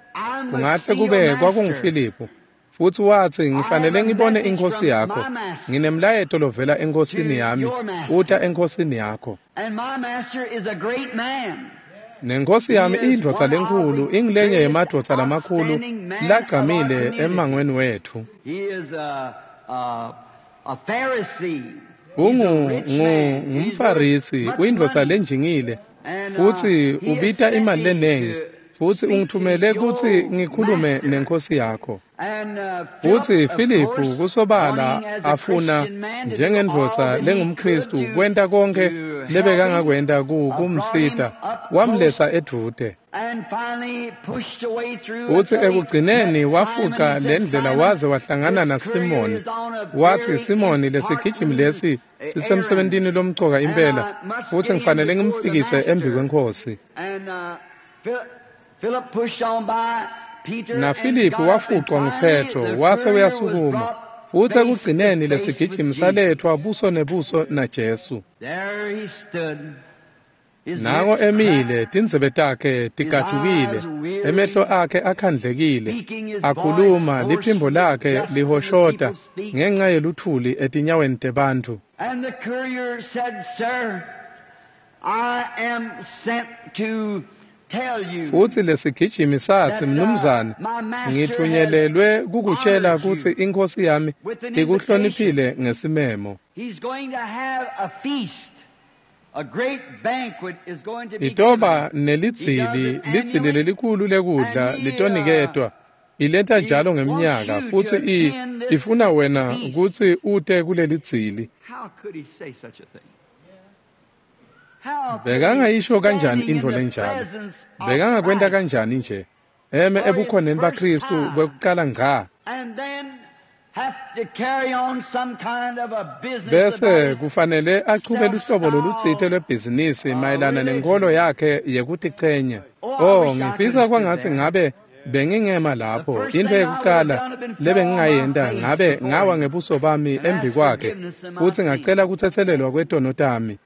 kungahle kube kwakunguFiliphu. Futsi watsi, ngifanele ngibone inkosi yakho. Nginemlayeto lovela enkosini yami, uta enkosini yakho. Nenkosi yami iyindvodza lenkhulu, ingilenye yemadvodza lamakhulu lagcamile emangweni wethu. UngumFarisi, uyindvodza lenjingile, futsi ubita imali lenengi. Futsi ungithumele kutsi ngikhulume nenkosi yakho. Futsi Filiphu kusobala afuna njengendvodza lengumKhristu kwenta konke lebekangakwenta kumsita, wamletsa edvute. Futsi ekugcineni wafuca lendlela waze wahlangana naSimoni. Watsi, Simoni, lesigijimi lesi sisemsebentini lomcoka impela, futsi ngifanele ngimfikise embi kwenkosi. NaFiliphu wafucwa nguPetro wase uyasukuma. Futsi ekugcineni lesigijimi salethwa buso nebuso naJesu. Nango emile, tindzebe takhe tigadukile, emehlo akhe akhandlekile, akhuluma, liphimbo lakhe lihoshota ngenxa yeluthuli etinyaweni tebantfu. Futsi lesigijimi satsi, mnumzane, ngitfunyelelwe kukutshela kutsi inkosi yami ikuhloniphile ngesimemo. Itoba nelidzili, lidzili lelikhulu lekudla litoniketwa. Ileta njalo ngemnyaka, futsi ifuna wena kutsi ute kulelidzili. Bekangayisho kanjani intfo lenjalo? Bekangakwenta kanjani nje? Eme ebukhoneni baKhristu kwekucala ngca. Bese kufanele achube luhlobo lolutsite lwebhizinisi mayelana nenkolo yakhe yekutichenya. Oh, ngifisa kwangatsi ngabe bengingema lapho. Intfo yekucala lebengingayenta ngabe ngawa ngebuso bami embi kwakhe futsi ngacela kutsetselelwa kwetono tami.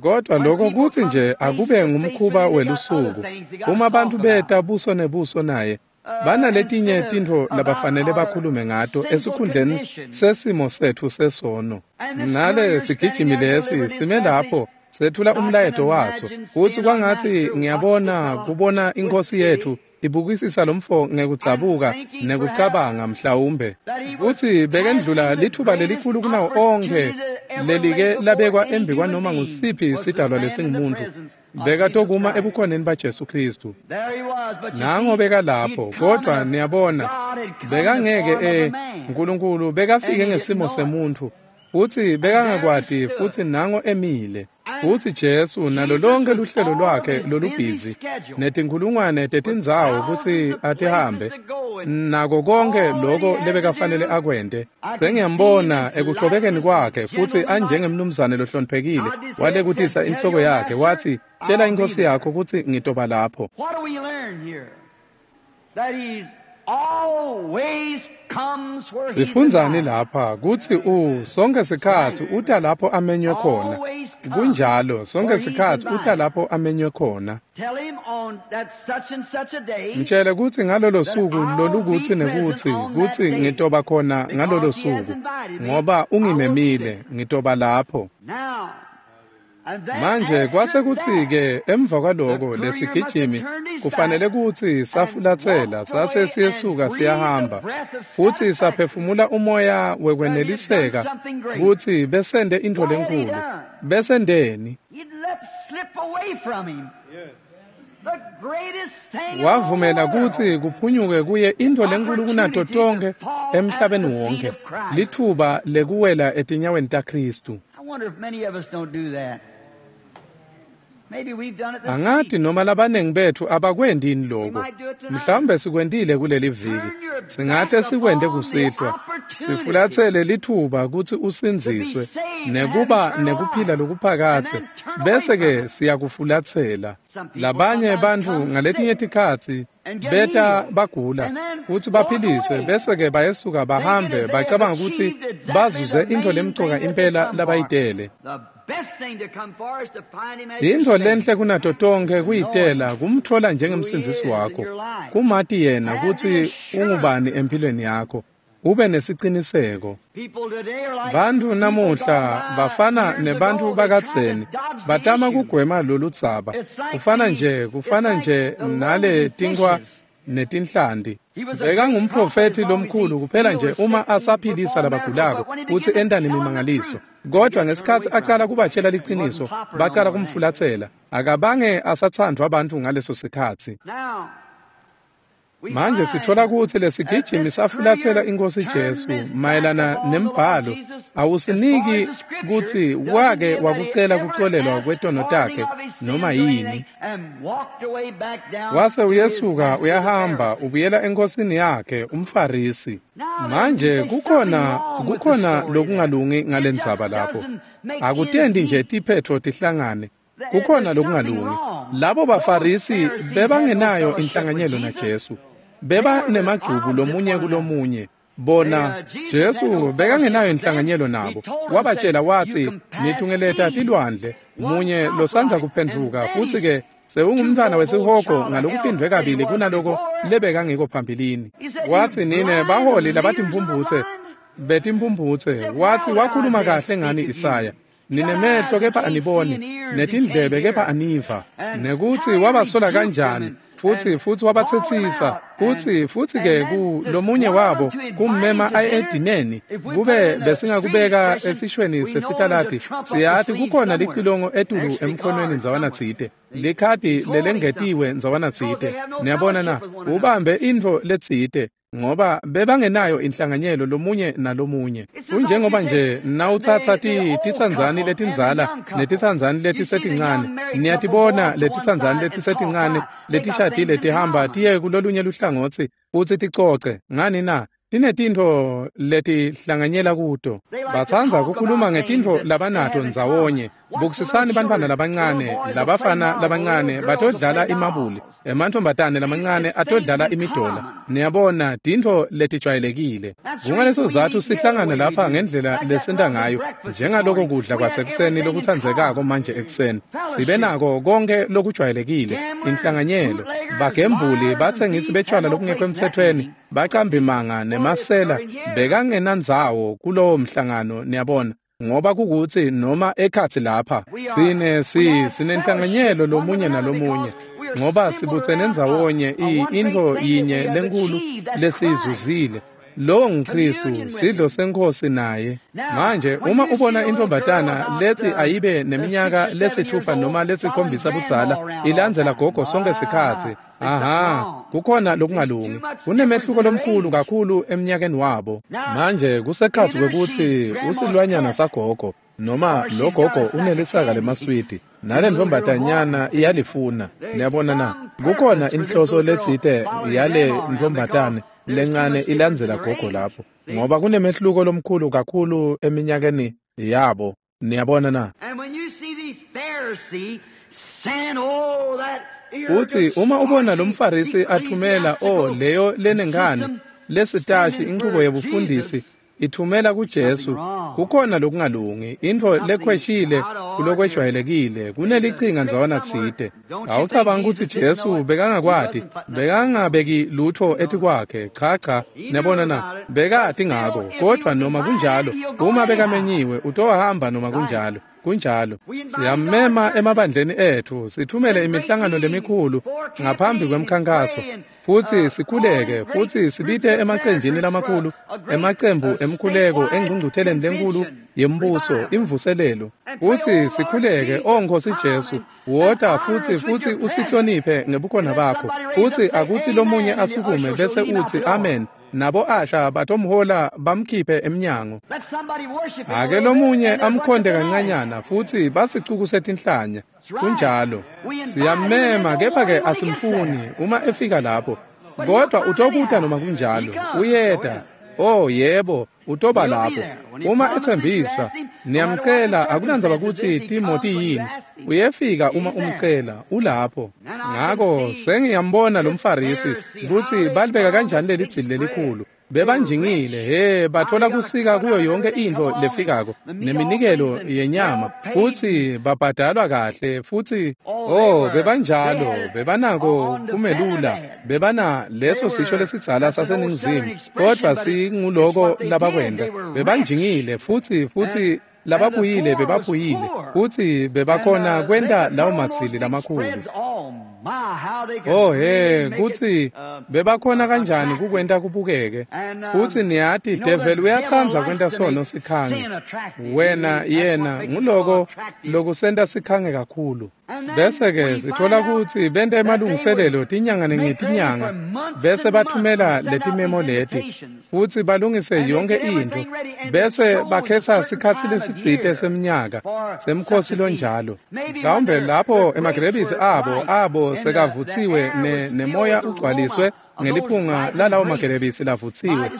Kodwa lokho kutsi nje akube ngumkhuba welusuku. Uma bantu beta buso nebuso naye, banaletinye tintfo labafanele bakhulume ngato esikhundleni sesimo setfu sesono. Nale sigijimi lesi sime lapho sethula umlayeto waso. Futsi kwangatsi ngiyabona kubona inkosi yethu ibukisisa lomfo ngekudzabuka nekucabanga mhlawumbe kutsi bekendlula lithuba lelikhulu kunawo onkhe lelike labekwa embi kwanoma ngusiphi sidalwa lesingumuntu bekatokuma ebukhoneni baJesu Kristu. Nango bekalapho, kodwa niyabona bekangeke uNkulunkulu bekafike ngesimo semuntu futsi bekangakwati, futsi nango emile. Futsi Jesu nalo lonke luhlelo lwakhe lolubhizi netinkhulungwane tetindzawo kutsi atihambe nako konke loko lebekafanele akwente. Sengiyambona ekuchobekeni kwakhe futsi anjengemnumzane lohloniphekile walekutisa inhloko yakhe wathi, tshela inkosi yakho kutsi ngitoba lapho. Sifundzani lapha kutsi sonke sikhatsi uta lapho amenywe khona. Kunjalo, sonke sikhatsi uta lapho amenywe khona. Mtshele kutsi ngalolo suku lolukutsi nekutsi kutsi ngitoba khona ngalolo suku ngoba ungimemile, ngitoba lapho. Manje kwase kutsi-ke emva kwaloko lesigijimi kufanele kutsi safulatsela sase siyesuka siyahamba futsi saphefumula umoya wekweneliseka kutsi besende intfo lenkhulu. Besendeni? Wavumela kutsi kuphunyuke kuye intfo lenkhulu kunato tonkhe emhlabeni wonke, lithuba lekuwela etinyaweni taKhristu. Angati noma labanengi bethu abakwendi yini lokho. Mhlawumbe sikwentile kuleli viki. Singahle sikwente kusihlwa. Sifulatsele lithuba kutsi usindziswe nekuba nekuphila lokuphakadze, bese-ke siyakufulatsela. Labanye bantfu ngaletinye tikhatsi beta bagula futsi baphiliswe, bese-ke bayesuka bahambe bacabanga kutsi bazuze intfo lemcoka impela labayitele. Intfo lenhle kunato tonkhe kuyitela kumtfola njengemsindzisi wakho, kumati yena kutsi ungubani empilweni yakho, ube nesiciniseko. Bantfu namuhla bafana nebantfu bakadzeni batama kugwema loludzaba. Kufana nje nale tinkhwa netinhlanti. Bekangumprofethi lomkhulu kuphela nje uma asaphilisa labagulako kutsi enta nemimangaliso. Kodwa ngesikhatsi acala kubatshela liqiniso, bacala kumfulatsela. Akabange asatsandvwa bantfu ngaleso sikhatsi. Manje sithola kutsi lesigijimi safulatsela iNkhosi Jesu mayelana nembhalo awusiniki kutsi wake wakucela kuxolelwa kwetono takhe noma yini. Wase uyesuka uyahamba ubuyela enkosini yakhe umFarisi. Manje kukhona lokungalungi ngalendzaba lapho. Akutendi nje tiphetho tihlangane. Kukhona lokungalungi. Labo baFarisi bebangenayo inhlanganyelo naJesu. Beba nemagcubu lomunye kulomunye. Bona Jesu bekangenayo inhlanganyelo nabo. Wabatshela wathi, nitungeleta tilwandle munye losandza kuphendvuka futsi ke sewungumntfwana wesihogo ngalokuphindvwe kabili kunaloko lebekangiko phambilini. Wathi, nine baholi labatimphumphutse betimphumphutse. Wathi wakhuluma kahle ngani Isaya, ninemehlo kepha aniboni, netindlebe kepha aniva. Nekuthi wabasola kanjani futsi wabatsetsisa futsi ke ku lomunye wabo kummema aye edineni. Kube besingakubeka esishweni sesitalati, siyati kukhona licilongo etulu emkhonweni ndzawana tsite, likhadi lelengetiwe ndzawana tsite. Niyabona na, ubambe intfo letsite ngoba bebangenayo inhlanganyelo lomunye nalomunye. Kunjengoba nje nawutsatsa titsandzani letindzala netitsandzani letisetincane, niyatibona letitsandzani letisetincane letishadile tihamba tiye kulolunye luhlangotsi futsi ticoce ngani na? Tinetintfo letihlanganyela kuto. Batsandza kukhuluma ngetintfo labanato ndzawonye. Bukisisani bantfwana labancane, labafana labancane batodlala imabuli, emantfombatane lamancane atodlala imidola. Niyabona, tintfo letijwayelekile. Kungaleso sizatfu sihlangana lapha ngendlela lesenta ngayo, njengaloko kudla kwasekuseni lokutsandzekako manje ekuseni. Sibe nako konke lokujwayelekile, inhlanganyelo, bagembuli, batsengisi betshwala lokungekho emtsetfweni, bacambimanga nemasela bekangenandzawo kulowo mhlangano, niyabona. Ngoba kukutsi noma ekhatsi lapha tsine sinenhlanganyelo lomunye nalomunye. ngoba sibutsene ndzawonye intfo yinye lenkulu lesiyizuzile. Lowo nguKristu, sidlo senkosi naye. Manje uma ubona intombatana lethi ayibe neminyaka 6 noma 7 budzala ilandzela gogo sonke sikhatsi, aha, kukhona lokungalungi. Kunemehluko lomkhulu kakhulu eminyakeni wabo. Manje kusekhatsi kwekutsi usilwanyana sagogo noma lo gogo unelisaka lemaswidi nale ntombatanyana iyalifuna. Niyabona na? Kukhona inhloso letsite yale ntombatane lencane ilandzela gogo lapho, ngoba kunemehluko lomkhulu kakhulu eminyakeni yabo. Niyabona na? Uthi uma ubona lo mfarisi athumela leyo lenengane lesitashi inqubo yebufundisi ithumela kuJesu, kukhona lokungalungi, intfo lekhweshile kulokwejwayelekile, kunelicinga ndzawana tsite. Awucabangi kutsi Jesu bekangakwati, bekangabeki lutfo etikwakhe, cha cha, niyabona na, bekati ngako, kodvwa noma kunjalo, uma bekamenyiwe utohamba noma kunjalo. Kunjalo. Siyamema emabandleni ethu, sithumele imihlangano lemikhulu ngaphambi kwemkhankaso, futsi sikhuleke, futsi sibite emacenjini lamakhulu, emacembu emkhuleko engcungcutheleni lenkulu yembuso, imvuselelo, futsi sikhuleke, O Nkosi Jesu, wota futsi usihloniphe ngebukhona bakho, futsi akutsi lomunye asukume bese utsi amen. Nabo asha batomhola bamkhiphe emnyango. Ake lomunye amkhonde kancanyana futsi basicuku setinhlanya. Kunjalo. Siyamema kepha-ke asimfuni uma efika lapho. Kodwa utokuta noma kunjalo. Uyeta. Oh yebo, utoba lapho. Uma etsembisa, niyamcela, akunandzaba kutsi timo tiyini. Uyefika uma umcela, ulapho. Ngako sengiyambona lo mfarisi kutsi balibeka kanjani leli dzili lelikhulu. Bebanjingile, batfola kusika kuyo yonke intfo lefikako neminikelo yenyama, futsi babhadalwa kahle, futsi bebanjalo, bebanako kumelula, bebana leso sisho lesidzala saseNingizimu, kodvwa singuloko labakwenta. Bebanjingile futsi lababuyile bebaphuyile, futsi bebakhona kwenta lawo madzili lamakhulu. Kutsi bebakhona kanjani kukwenta kubukeke. Futsi niyati, devil uyatsandza kwenta sono sikhange. Wena yena nguloko lokusenta sikhange kakhulu. Bese-ke sitfola kutsi benta emalungiselelo tinyanga ngetinyanga, bese bathumela letimemo leti, futsi balungise yonke intfo, bese bakhetsa sikhatsi lesitsite semnyaka semkhosi lonjalo. Mhlawumbe lapho emagrebisi abo sekavutsiwe nemoya ugcwaliswe ngeliphunga lalawo magerebisi lavutsiwe,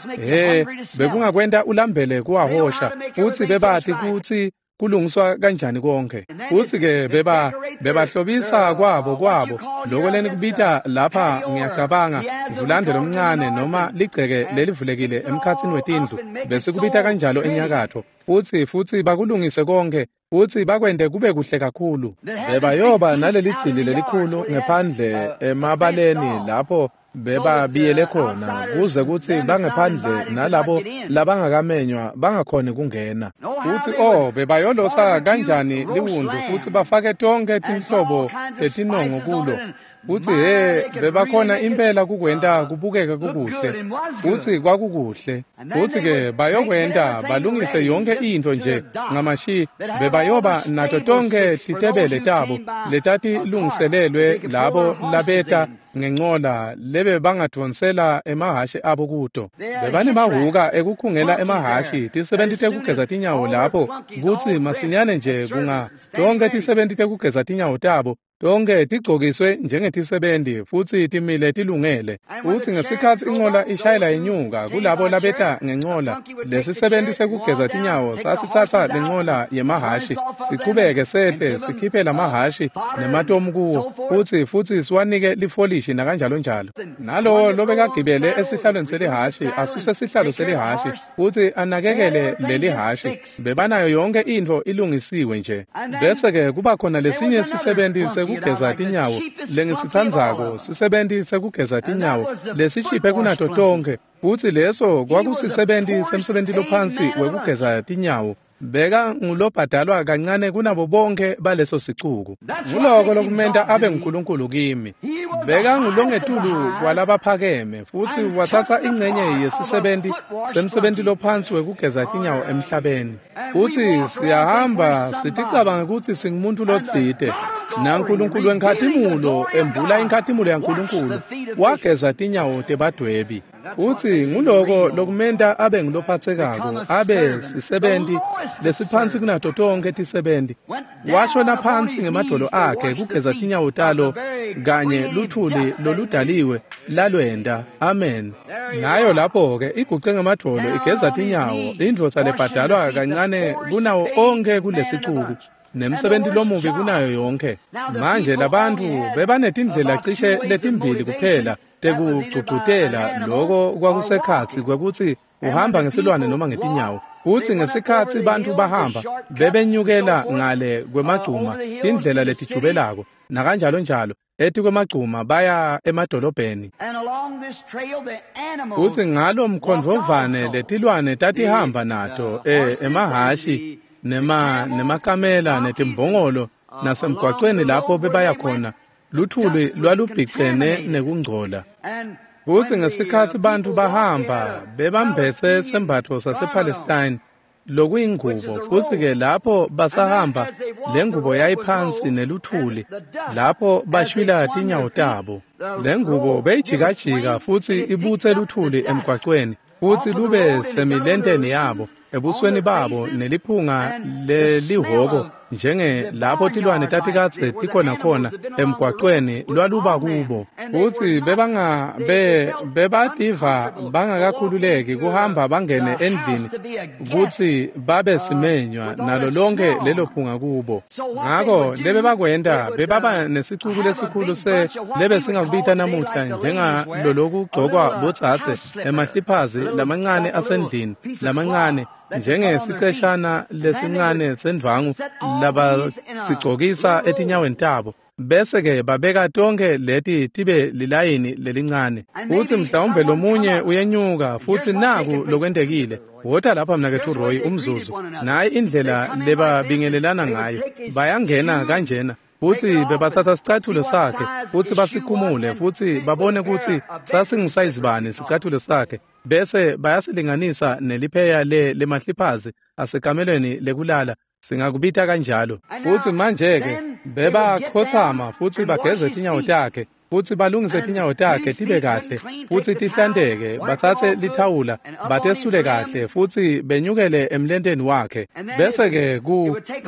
bekungakwenta ulambele kuwahosha, futsi bebati kutsi kulungiswa kanjani konke. Futsi-ke bebahlobisa kwabo loko lenikubita lapha, ngiyacabanga, vulande lomncane noma ligceke lelivulekile emkhatsini wetindlu, besikubita kanjalo enyakatfo, futsi bakulungise konke, futsi bakwente kube kuhle kakhulu. Bebayoba naleli dzili lelikhulu ngephandle emabaleni lapho bebabiyele khona, kuze kutsi bangephandle nalabo labangakamenywa bangakhoni kungena. Futsi bebayolosa kanjani liwundlu futsi bafake tonke tinhlobo tetinongo kulo. Futsi bebakhona impela kukwenta kubukeke kukuhle, futsi kwakukuhle. Futsi-ke bayokwenta balungise yonke intfo nje ncamashi, bebayoba nato tonke titebele tabo letatilungiselelwe labo labeta ngencola lebe bangadvonsela emahhashi abo kuto. Bebanemahhuka ekukhungela emahhashi, tisebenti tekugeza tinyawo lapho, kutsi masinyane nje kunga tonke tisebenti tekugeza tinyawo tabo tonke tigcokiswe njengetisebenti futsi timile tilungele. Futsi ngesikhatsi incola ishayela inyuka kulabo labeta ngencola, lesisebenti sekugeza tinyawo sasitsatsa lencola yemahhashi sichubeke sehle sikhiphe lamahhashi nematomu kuwo, futsi siwanike lifolishi nakanjalo njalo. Nalowo lobekagibele esihlalweni selihhashi asuse sihlalo selihhashi futsi anakekele lelihhashi. Bebanayo yonke intfo ilungisiwe nje. Bese-ke kuba khona lesinye sisebenti sekugeza tinyawo lengisitsandzako, sisebenti sekugeza tinyawo lesishiphe kunato tonke, futsi leso kwakusisebenti semsebenti lophansi wekugeza tinyawo. Beka ngulobhadalwa kancane kunabo bonke baleso sicuku. Nguloko lokumenta abe nguNkulunkulu kimi. Beka ngulongetulu kwalabaphakeme futhi wathatha ingcenye yesisebenti semsebenti lophansi wekugeza tinyawo emhlabeni. Futhi siyahamba siticabanga ukuthi singumuntu lotsite. NaNkulunkulu wenkhatimulo embula inkhatimulo yaNkulunkulu wageza tinyawo tebadwebi. Futhi nguloko lokumenta abe ngulophatsekako, abe sisebenti lesiphansi kunato tonke tisebenti. Washona phansi ngemadolo akhe kugeza tinyawo talo kanye luthuli loludaliwe lalwenda. Amen. Nayo lapho-ke iguce ngemadolo igeza tinyawo, indvodza lebhadalwa kancane kunawo onke kulesicuku, nemsebenti lomubi kunayo yonke. Manje labantu bebanetindlela cishe letimbili kuphela tekugcugcutela loko kwakusekhatsi kwekutsi uhamba ngesilwane noma ngetinyawo. Kutsi ngesikhatsi bantfu bahamba bebenyukela ngale kwemagcuma tindlela letijubelako nakanjalo njalo etikwemagcuma baya emadolobheni. Kutsi ngalo mkhondvovane letilwane tatihamba nato emahhashi nemakamela netimbongolo nasemgwacweni lapho bebaya khona luthuli lwalubhicene nekungcola. Kutsi ngesikhatsi bantfu bahamba bebambetse sembatfo sasePalestine lokuyingubo, futsi-ke lapho basahamba le ngubo yayiphansi neluthuli lapho bashwila tinyawo tabo. Le ngubo beyijikajika futsi ibutse luthuli emgwacweni futsi lube semilenteni yabo, ebusweni babo, neliphunga lelihhoko njenge lapho tilwane tatikadze tikhona khona emgwacweni lwaluba kubo. Futsi bebativa bangakakhululeki kuhamba bangene endlini kutsi babe simenywa nalo lonke lelo phunga kubo. Ngako lebebakwenta bebaba nesicuku lesikhulu lebe singakubita namuhla njengalolokugcokwa bodzadze emahliphazi lamancane asendlini lamancane, njengesiceshana lesincane sendvwangu labasigcokisa etinyaweni tabo, bese-ke babeka tonke leti tibe lilayini lelincane. Futsi mhlawumbe lomunye uyenyuka futsi naku lokwentekile. Wota lapha mnaketfu Roy umzuzu. Nayi indlela lebabingelelana ngayo. Bayangena kanjena futsi bebathatha sicathulo sakhe futsi basikhumule futsi babone kutsi sasingusayizibani sicathulo sakhe, bese bayasilinganisa nelipheya lemahliphazi asekamelweni lekulala, singakubita kanjalo. Futsi manje-ke bebakhotsama futsi bageze tinyawo takhe futsi balungise tinyawo takhe tibe kahle futsi tihlanteke, batsatse lithawula batesule kahle futsi benyukele emlenteni wakhe, bese-ke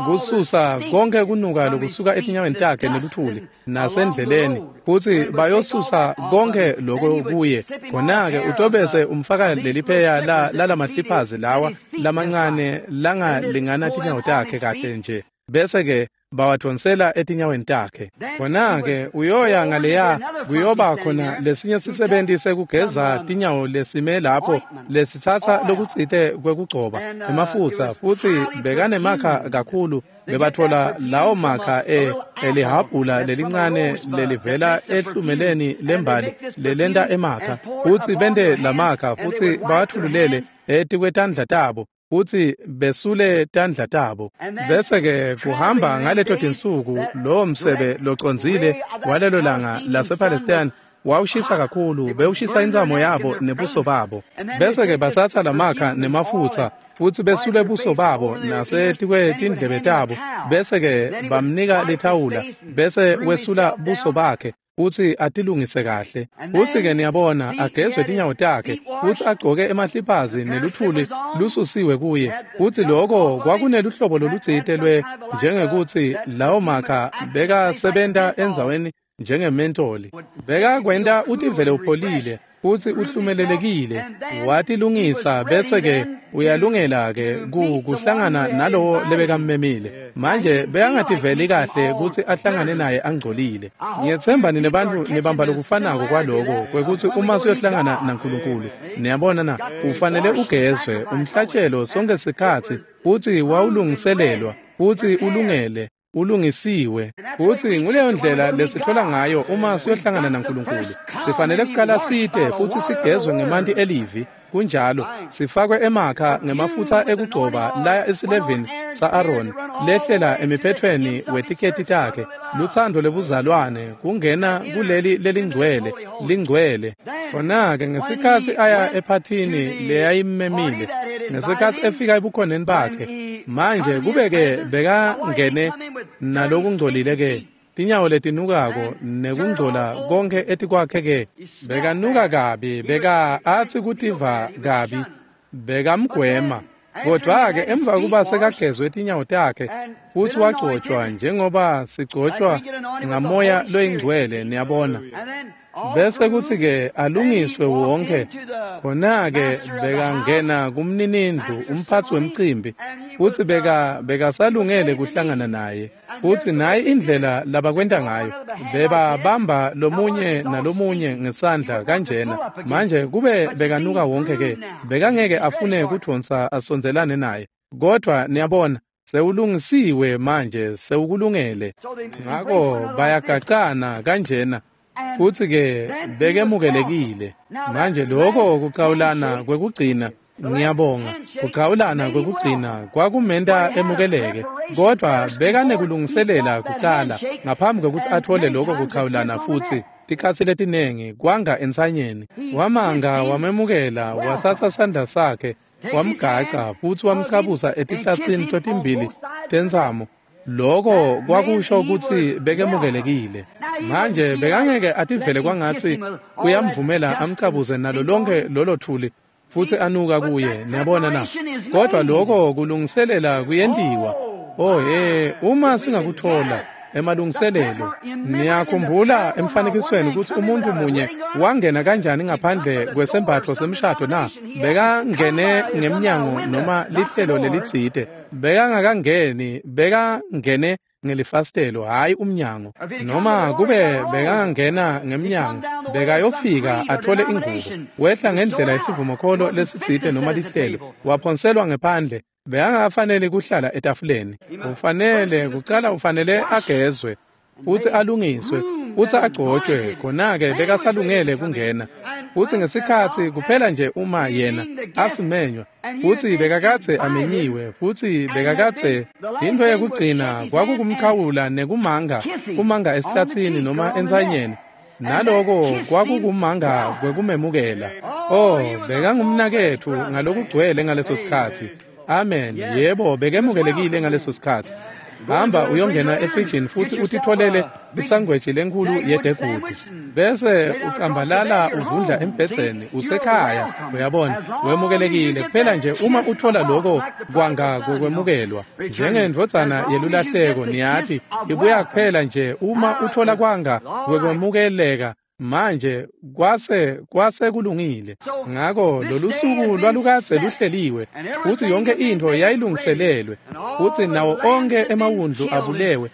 kususa konke kunuka lokusuka etinyaweni takhe neluthuli nasendleleni, futsi bayosusa konke loko kuye. Khona-ke utobese umfaka lelipheya lalamahliphazi lawa lamancane langalingana tinyawo takhe kahle nje, bese-ke bawadvonsela etinyaweni takhe. Khona-ke uyoya ngaleya kuyoba khona lesinye sisebenti sekugeza tinyawo lesime lapho lesitsatsa lokutsite kwekugcoba emafutsa, futsi bekanemakha kakhulu. Bebathola lawo makha elihabhula lelincane lelivela ehlumeleni lembali lelenta emakha, futsi bente lamakha futsi bawathululele etikwetandla tabo futsi besule tandla tabo. Bese-ke kuhamba ngaleto tinsuku lowo msebe locondzile walelo langa lasePalestine wawushisa kakhulu, bewushisa intsamo yabo nebuso babo. Bese-ke batsatsa lamakha nemafutsa futsi besule buso babo nasetikwetindlebe tabo, bese-ke bamnika lithawula, bese wesula buso bakhe futsi atilungise kahle. Futsi-ke niyabona agezwe tinyawo takhe futsi agcoke emahliphazi neluthuli lususiwe kuye. Futsi loko kwakuneluhlobo lolutsite lwe njengekutsi lawo makha bekasebenta endzaweni njengementoli. Bekakwenta utivele upholile futsi uhlumelelekile, watilungisa, bese-ke uyalungela-ke kuhlangana nalowo lebekammemile. Manje bekangativeli kahle kutsi ahlangane naye angcolile. Ngiyetsemba nine bantfu nibamba lokufanako kwaloko kwekutsi uma siyohlangana naNkulunkulu, niyabona na, ufanele ugezwe umhlatshelo sonke sikhatsi, futsi wawulungiselelwa futsi ulungele ulungisiwe. Futsi nguleyo ndlela lesithola ngayo uma siyohlangana naNkulunkulu. Sifanele kuqala site futsi sigezwe ngemanti elivi. Kunjalo, sifakwe emakha ngemafutsa ekugcoba laya esilevini sa-Aroni, lehlela emiphethweni wetiketi takhe. Lutsandvo lebuzalwane kungena kuleli lelingcwele, lingcwele. Khona-ke ngesikhatsi aya ephathini leyayimmemile, ngesikhatsi efika ebukhoneni bakhe, manje kube-ke bekangene nalokungcolile-ke, tinyawo letinukako nekungcola konke etikwakhe-ke, bekanuka kabi, beka atsi kutiva kabi, bekamgwema. Kodwa-ke emva kuba sekagezwe tinyawo takhe futsi wagcotshwa njengoba sigcotshwa ngamoya loyingcwele, niyabona. Bese kutsi-ke alungiswe wonke, khona-ke bekangena kumninindlu, umphatsi wemcimbi, futsi bekasalungele kuhlangana naye. Futsi nayi indlela labakwenta ngayo, bebabamba lomunye nalomunye ngesandla kanjena. Manje kube bekanuka wonke-ke, bekangeke afune kudvonsa asondzelane naye. Kodwa niyabona, sewulungisiwe manje, sewukulungele. Ngako bayagacana kanjena. Futsi-ke bekemukelekile. Manje lokho kuchawulana kwekugcina, ngiyabonga, kuchawulana kwekugcina kwakumenta emukeleke, kodvwa bekanekulungiselela kucala ngaphambi kwekutsi atfole lokho kuchawulana futsi tikhatsi letinengi kwanga entsanyeni. Wamanga wamemukela, watsatsa sandla sakhe, wamgaca futsi wamchabuza etihlatsini totimbili tentsamo. Lokho kwakusho kutsi bekemukelekile. Manje bekangeke ativele kwangatsi uyamvumela amchabuze nalo lonke lolo thuli futsi anuka kuye, niyabona na? Kodwa lokho kulungiselela kuyentiwa. Oh he, uma singakuthola emalungiselelo. Niyakhumbula emfanekisweni kutsi umuntu munye wangena kanjani ngaphandle kwesembatfo semshado na? Bekangene ngemnyango noma lihlelo lelitsite. Bekangakangeni, bekangene ngelifasitelo, hhayi umnyango. Noma kube bekangena ngemnyango, bekayofika atfole ingubo. Wehla ngendlela yesivumokholo lesitsite noma lihlelo, waphonselwa ngephandle. Bekangakafaneli kuhlala etafuleni. Ufanele kucala, ufanele agezwe futsi alungiswe futsi agcotshwe, khona-ke bekasalungele kungena. Futsi ngesikhatsi kuphela nje uma yena asimenywa, futsi bekakadze amenyiwe, futsi bekakadze intfo yekugcina kwakukumchawula nekumanga, kumanga esihlatsini noma entsanyeni. Naloko kwakukumanga kwekumemukela. Oh, bekangumnaketfu ngalokugcwele ngaleso sikhatsi. Amen. Yebo, bekemukelekile ngaleso sikhatsi. Hamba uyongena efrijini futsi utitfolele isangweji lenkhulu yedegudi, bese ucambalala uvundla embhedzeni usekhaya. Uyabona, wemukelekile kuphela nje uma utfola loko kwanga kokwemukelwa njengendvodzana yelulahleko. Niyati, ibuya kuphela nje uma utfola kwanga kwekwemukeleka. Manje kwase kulungile. Ngako lolusuku lwalukadze luhleliwe, futsi yonke intfo yayilungiselelwe, futsi nawo onkhe emawundlu abulewe,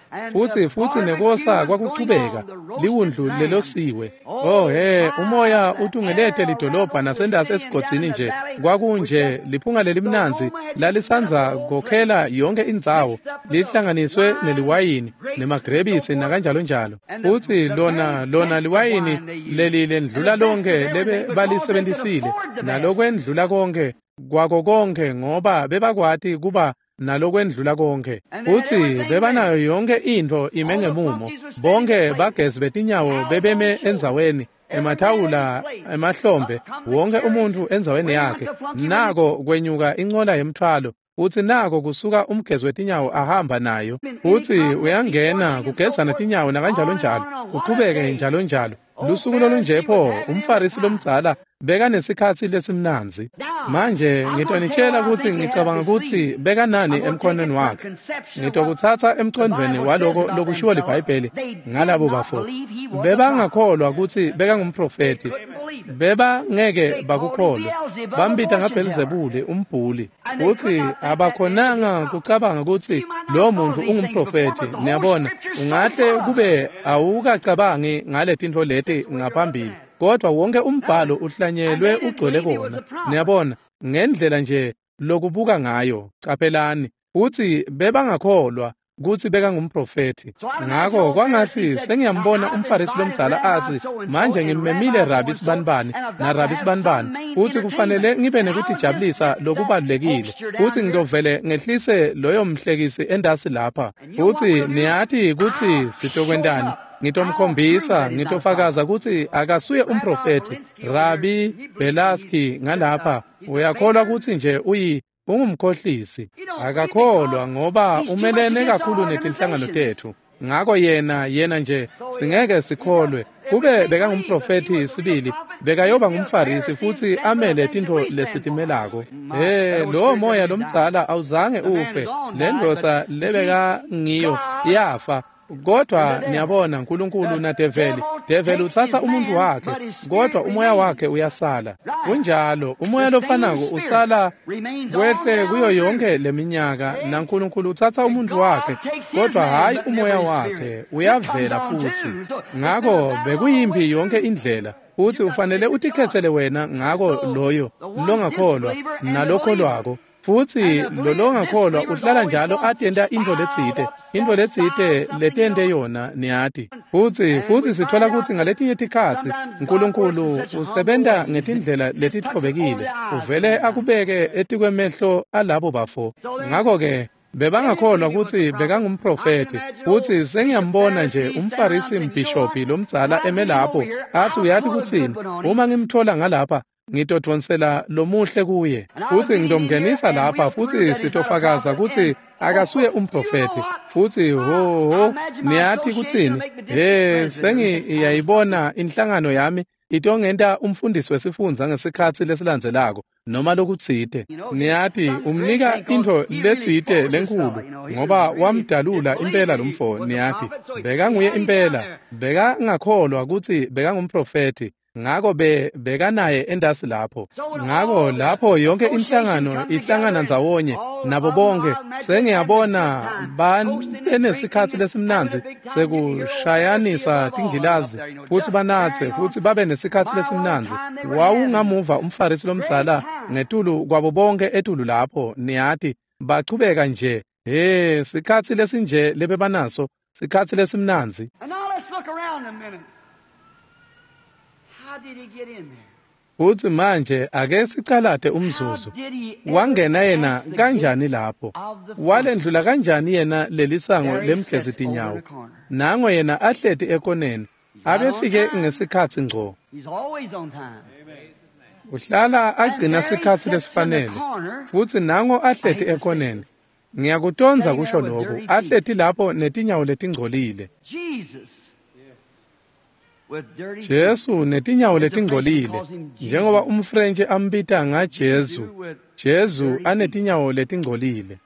futsi nekosa kwakuchubeka, liwundlu lelosiwe. Oh he, umoya utungelete lidolobha nasendasi esigodzini nje, kwakunje liphunga lelimnandzi lalisandza kokhela yonke indzawo, lihlanganiswe neliwayini nemagrebisi nakanjalo njalo. Futsi lona liwayini leli lendlula lonke lebe balisebenzisile, nalokwendlula konke kwako konke, ngoba bebakwati kuba nalokwendlula konke. Futsi bebanayo yonke intfo ime ngemumo, bonke bagezi betinyawo bebeme endzaweni, emathawula emahlombe, wonke umuntfu endzaweni yakhe. Nako kwenyuka incola yemthwalo, futsi nako kusuka umgezi wetinyawo ahamba nayo, futsi uyangena kugezana tinyawo nakanjalo njalo, kuqhubeke njalo njalo. Lusuku lolunje pho, umFarisi lomdzala bekanesikhatsi lesimnandzi. Manje ngitonitshela kutsi ngicabanga kutsi bekanani emkhonweni wakhe. Ngitokutsatsa emcondvweni waloko lokushiwo liBhayibheli ngalabo bafo. Bebangakholwa kutsi bekangumprofethi. Bebangeke bakukholwe. Bambita ngaBhelzebule, umbhuli. Futsi abakhonanga kucabanga kutsi lo muntu ungumprofethi. Niyabona, ungahle kube awukacabangi ngale tintfo leti ngaphambili, kodwa wonke umbhalo uhlanyelwe ugcwele kona. Niyabona, ngendlela nje lokubuka ngayo. Caphelani, futsi bebangakholwa. kutsi bekangumprofethi. Ngako kwangatsi sengiyambona umFarisi lomdzala atsi, manje ngimmemile Rabi Sibanibani na Rabi Sibanibani, futsi kufanele ngibe nekutijabulisa lokubalulekile, futsi ngitovele ngehlise loyo mhlekisi endasi lapha. Futsi niyati kutsi sitokwentani? Ngitomkhombisa, ngitofakaza kutsi akasuye umprofethi. Rabi Belaski ngalapha, uyakholwa kutsi nje ungumkhohlisi. Akakholwa ngoba umelene kakhulu netinhlangano tetfu. Ngako yena nje singeke sikholwe. Kube bekangumprofethi sibili, bekayoba ngumFarisi futsi amele tintfo lesitimelako. Lowo moya lomdzala awuzange ufe. Le ndvodza lebekangiyo yafa. Kodwa niyabona, uNkulunkulu naDeveli, Develi utsatsa umuntu wakhe, kodwa umoya wakhe uyasala. Kunjalo, umoya lofanako usala kwehle kuyo yonke leminyaka, naNkulunkulu utsatsa umuntu wakhe, kodwa hayi umoya wakhe, uyavela futsi. Ngako bekuyimpi yonke indlela, futsi ufanele utikhetsele wena ngako loyo longakholwa nalokholwako. Futsi lolongakholwa uhlala njalo atenta intfo letsite letente yona, niyati. Futsi sithola kutsi ngaletinye tikhatsi uNkulunkulu usebenta ngetindlela letitfobekile, uvele akubeke etikwemehlo alabo bafo. Ngako-ke bebangakholwa kutsi bekangumprofethi. Futsi sengiyambona nje umFarisi mbhishobhi lomdzala eme lapho atsi, uyati kutsini, uma ngimthola ngalapha ngitodvonsela lomuhle kuye, futsi ngitomngenisa lapha, futsi sitofakaza kutsi akasuye umprofethi. Futsi ho niyati kutsini, sengiyayibona inhlangano yami itongenta umfundisi wesifundza ngesikhatsi lesilandzelako noma lokutsite. Niyati, umnika intfo letsite lenkulu ngoba wamdalula impela lomfo. Niyati, bekanguye impela, bekangakholwa kutsi bekangumprofethi. Ngako bekanaye endasi lapho. Ngako lapho yonke inhlangano ihlangana ndzawonye nabo bonke, sengiyabona banesikhatsi lesimnandzi sekushayanisa tingilazi futsi banatse futsi babe nesikhatsi lesimnandzi. Wawungamuva umFarisi lomdzala ngetulu kwabo bonke etulu lapho, niyati, bachubeka nje. Sikhatsi lesinje lebebanaso, sikhatsi lesimnandzi. Futsi manje ake sicalate umzuzu. Wangena yena kanjani lapho? Walendlula kanjani yena lelisango lemgezi tinyawo? Nango yena ahleti ekoneni, abefike ngesikhatsi ngco. Uhlala agcina sikhatsi lesifanele. Futsi nango ahleti ekoneni. Ngiyakutondza kusho lokhu, ahleti lapho netinyawo letingcolile. Jesu netinyawo letingcolile, njengoba umFrentshi ambita ngaJesu. Jesu anetinyawo letingcolile.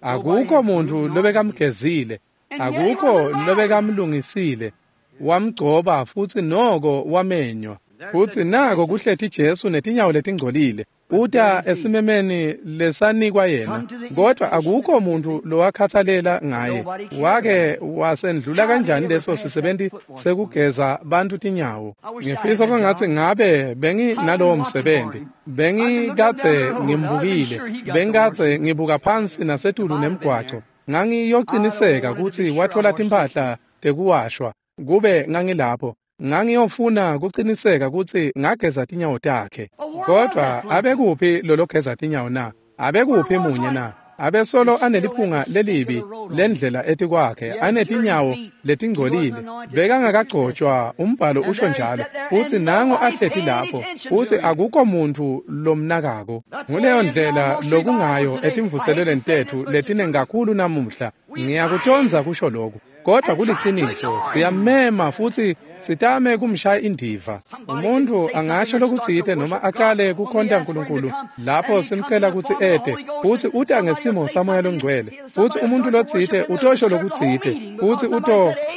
Akukho muntu lobekamgezile, akukho lobekamlungisile, wamgcoba futsi noko wamenywa. Futsi nako kuhleti Jesu netinyawo letingcolile, uta esimemeni lesanikwa yena, kodwa akukho muntu lowakhathalela ngaye. Wake wasendlula kanjani leso sisebenti sekugeza bantu tinyawo? Ngifisa kwangatsi ngabe benginalowo msebenzi, bengikadze ngimbukile, bengikadze ngibuka phansi nasetulu nemgwaco, ngangiyociniseka kutsi wathola timphahla tekuwashwa. Kube ngangilapho, ngangiyofuna kuciniseka kutsi ngageza tinyawo takhe. Kodwa abekuphi lologeza tinyawo na? Abekuphi munye na? Abesolo aneliphunga lelibi lendlela etikwakhe, anetinyawo letingcolile, bekangakagcotshwa, umbhalo usho njalo. Futsi nango ahleti lapho, futsi akukho muntu lomnakako. Nguleyo ndlela lokungayo etimvuselelweni tetfu letinengi kakhulu namuhla. Ngiyakutondza kusho lokhu, kodwa kuliciniso, siyamema futsi sitame kumshaya indiva. Umuntu angasho lokutsite noma aqale kukhonta uNkulunkulu lapho simcela kutsi ete, futsi uta ngesimo saMoya loNgcwele. Futsi umuntu lotsite utosho lokutsite, futsi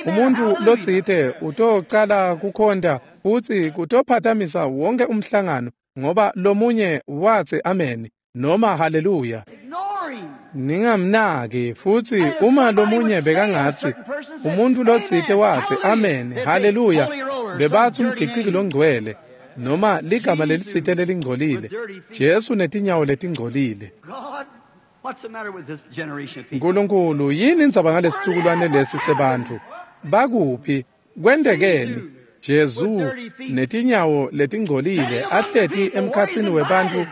umuntu lotsite utocala kukhonta, futsi kutophatamisa wonke umhlangano ngoba lomunye watsi amen noma haleluya. Ningamnaki. Futsi uma lomunye bekangatsi, umuntu lotsite watsi amen, haleluya, bebatsi umgiciki longcwele noma ligama lelitsite lelingcolile. Jesu netinyawo letingcolile. Nkulunkulu, yini indzaba ngalesitukulwane lesi sebantfu? Bakuphi? Kwentekeni? Jesu netinyawo letingcolile ahleti emkhatsini webantfu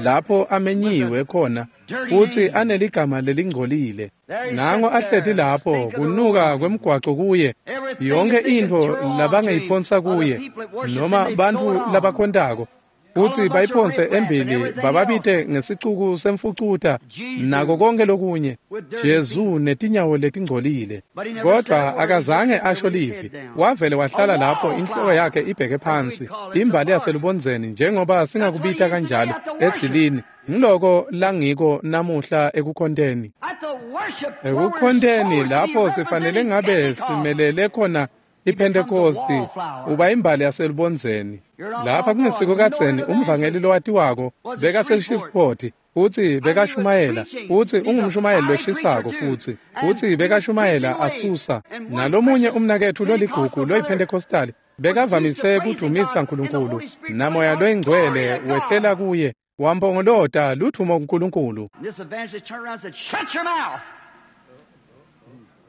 lapho amenyiwe khona futsi aneligama lelingcolile. Nango ahleti lapho kunuka kwemgwaco kuye, yonke intfo labangayiphonsa kuye noma bantfu labakhontako futsi bayiphonse embili bababite ngesicuku semfucuta nako konke lokunye. Jesu netinyawo letingcolile, kodwa akazange asho livi. Wavele wahlala lapho inhloko yakhe ibheke phansi, imbali yaselubondzeni njengoba singakubita kanjalo edzilini. Ngiloko langiko namuhla ekukhonteni. Ekukhonteni lapho sifanele ngabe simelele khona iPhentekosti, uba imbali yaselubondzeni. Lapha kungesiko kadzeni umvangeli lowatiwako bekaseShreveport futsi bekashumayela, futsi ungumshumayeli loshisako futsi bekashumayela asusa. Nalomunye umnaketfu loligugu loyiPhentekostali bekavamise kudumisa Nkulunkulu, namoya loyingcwele wehlela kuye wampongolota ludvumo kuNkulunkulu.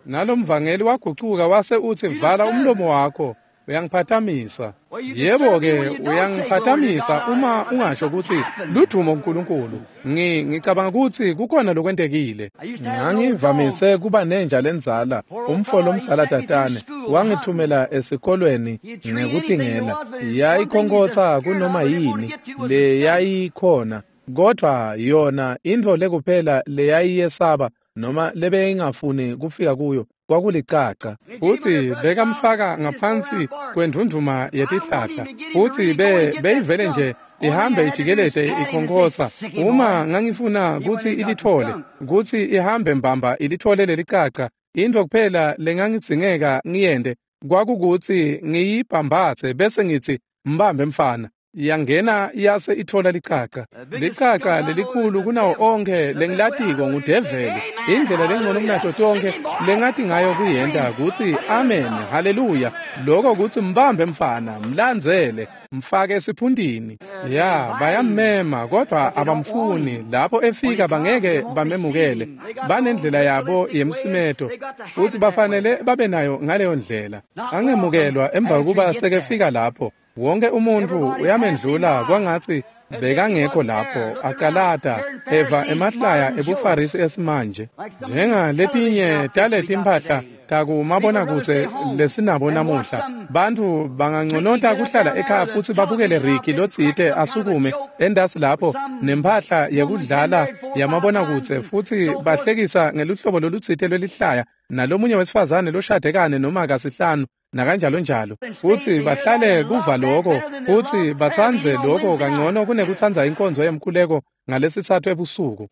Nalomvangeli wagucuka wase utsi, vala umlomo wakho, uyangiphathamisa. Yebo-ke, uyangiphathamisa uma ungasho kutsi ludvumo kuNkulunkulu. Ngicabanga kutsi kukhona lokwentekile. Ngangivamise kuba nenja lendzala, umfo lomdzala tatane, wangithumela esikolweni ngekutingela. Yayikhonkotsa kunoma yini leyayikhona, kodvwa yona intfo lekuphela leyayiyesaba noma lebeyingafuni kufika kuyo kwakulicaca. Futsi bekamfaka ngaphansi kwendvundvuma yetihlahla, futsi beyivele nje ihambe ijikelete ikhonkotsa. Uma ngangifuna kutsi ilitfole, kutsi ihambe mbamba ilitfole lelicaca, intfo kuphela lengangidzingeka ngiyente kwakukutsi ngiyibhambatse bese ngitsi, mbambe mfana. Yangena yase ithola licaca. Licaca lelikhulu kunawo onkhe lengilatiko ngudeveli. Indlela lengcono kunato tonkhe lengati ngayo kuyenta kutsi amen, haleluya. Lokho kutsi mbambe mfana, mlandzele, mfake esiphuntini. Ya, bayammema kodwa abamfuni. Lapho efika bangeke bamemukele. Banendlela yabo yemsimeto futsi bafanele babe nayo ngaleyo ndlela. Angemukelwa emva kokuba sekefika lapho. Wonke umuntu uyamendlula kwangatsi bekangekho lapho, acalata eva emahlaya ebuFarisi esimanje. Njengaletinye taletimpahla takumabonakudze lesinabo namuhla, bantfu banganconota kuhlala ekhaya futsi babukele Ricky lotsite asukume endasi lapho nemphahla yekudlala yamabonakudze futsi bahlekisa ngeluhlobo lolutsite lwelihlaya nalomunye wesifazane loshade kane noma kasihlanu nakanjalo njalo, futsi bahlale kuva lokho futsi batsandze lokho kangcono kunekutsandza inkonzo yemkhuleko ngalesitsatfu ebusuku.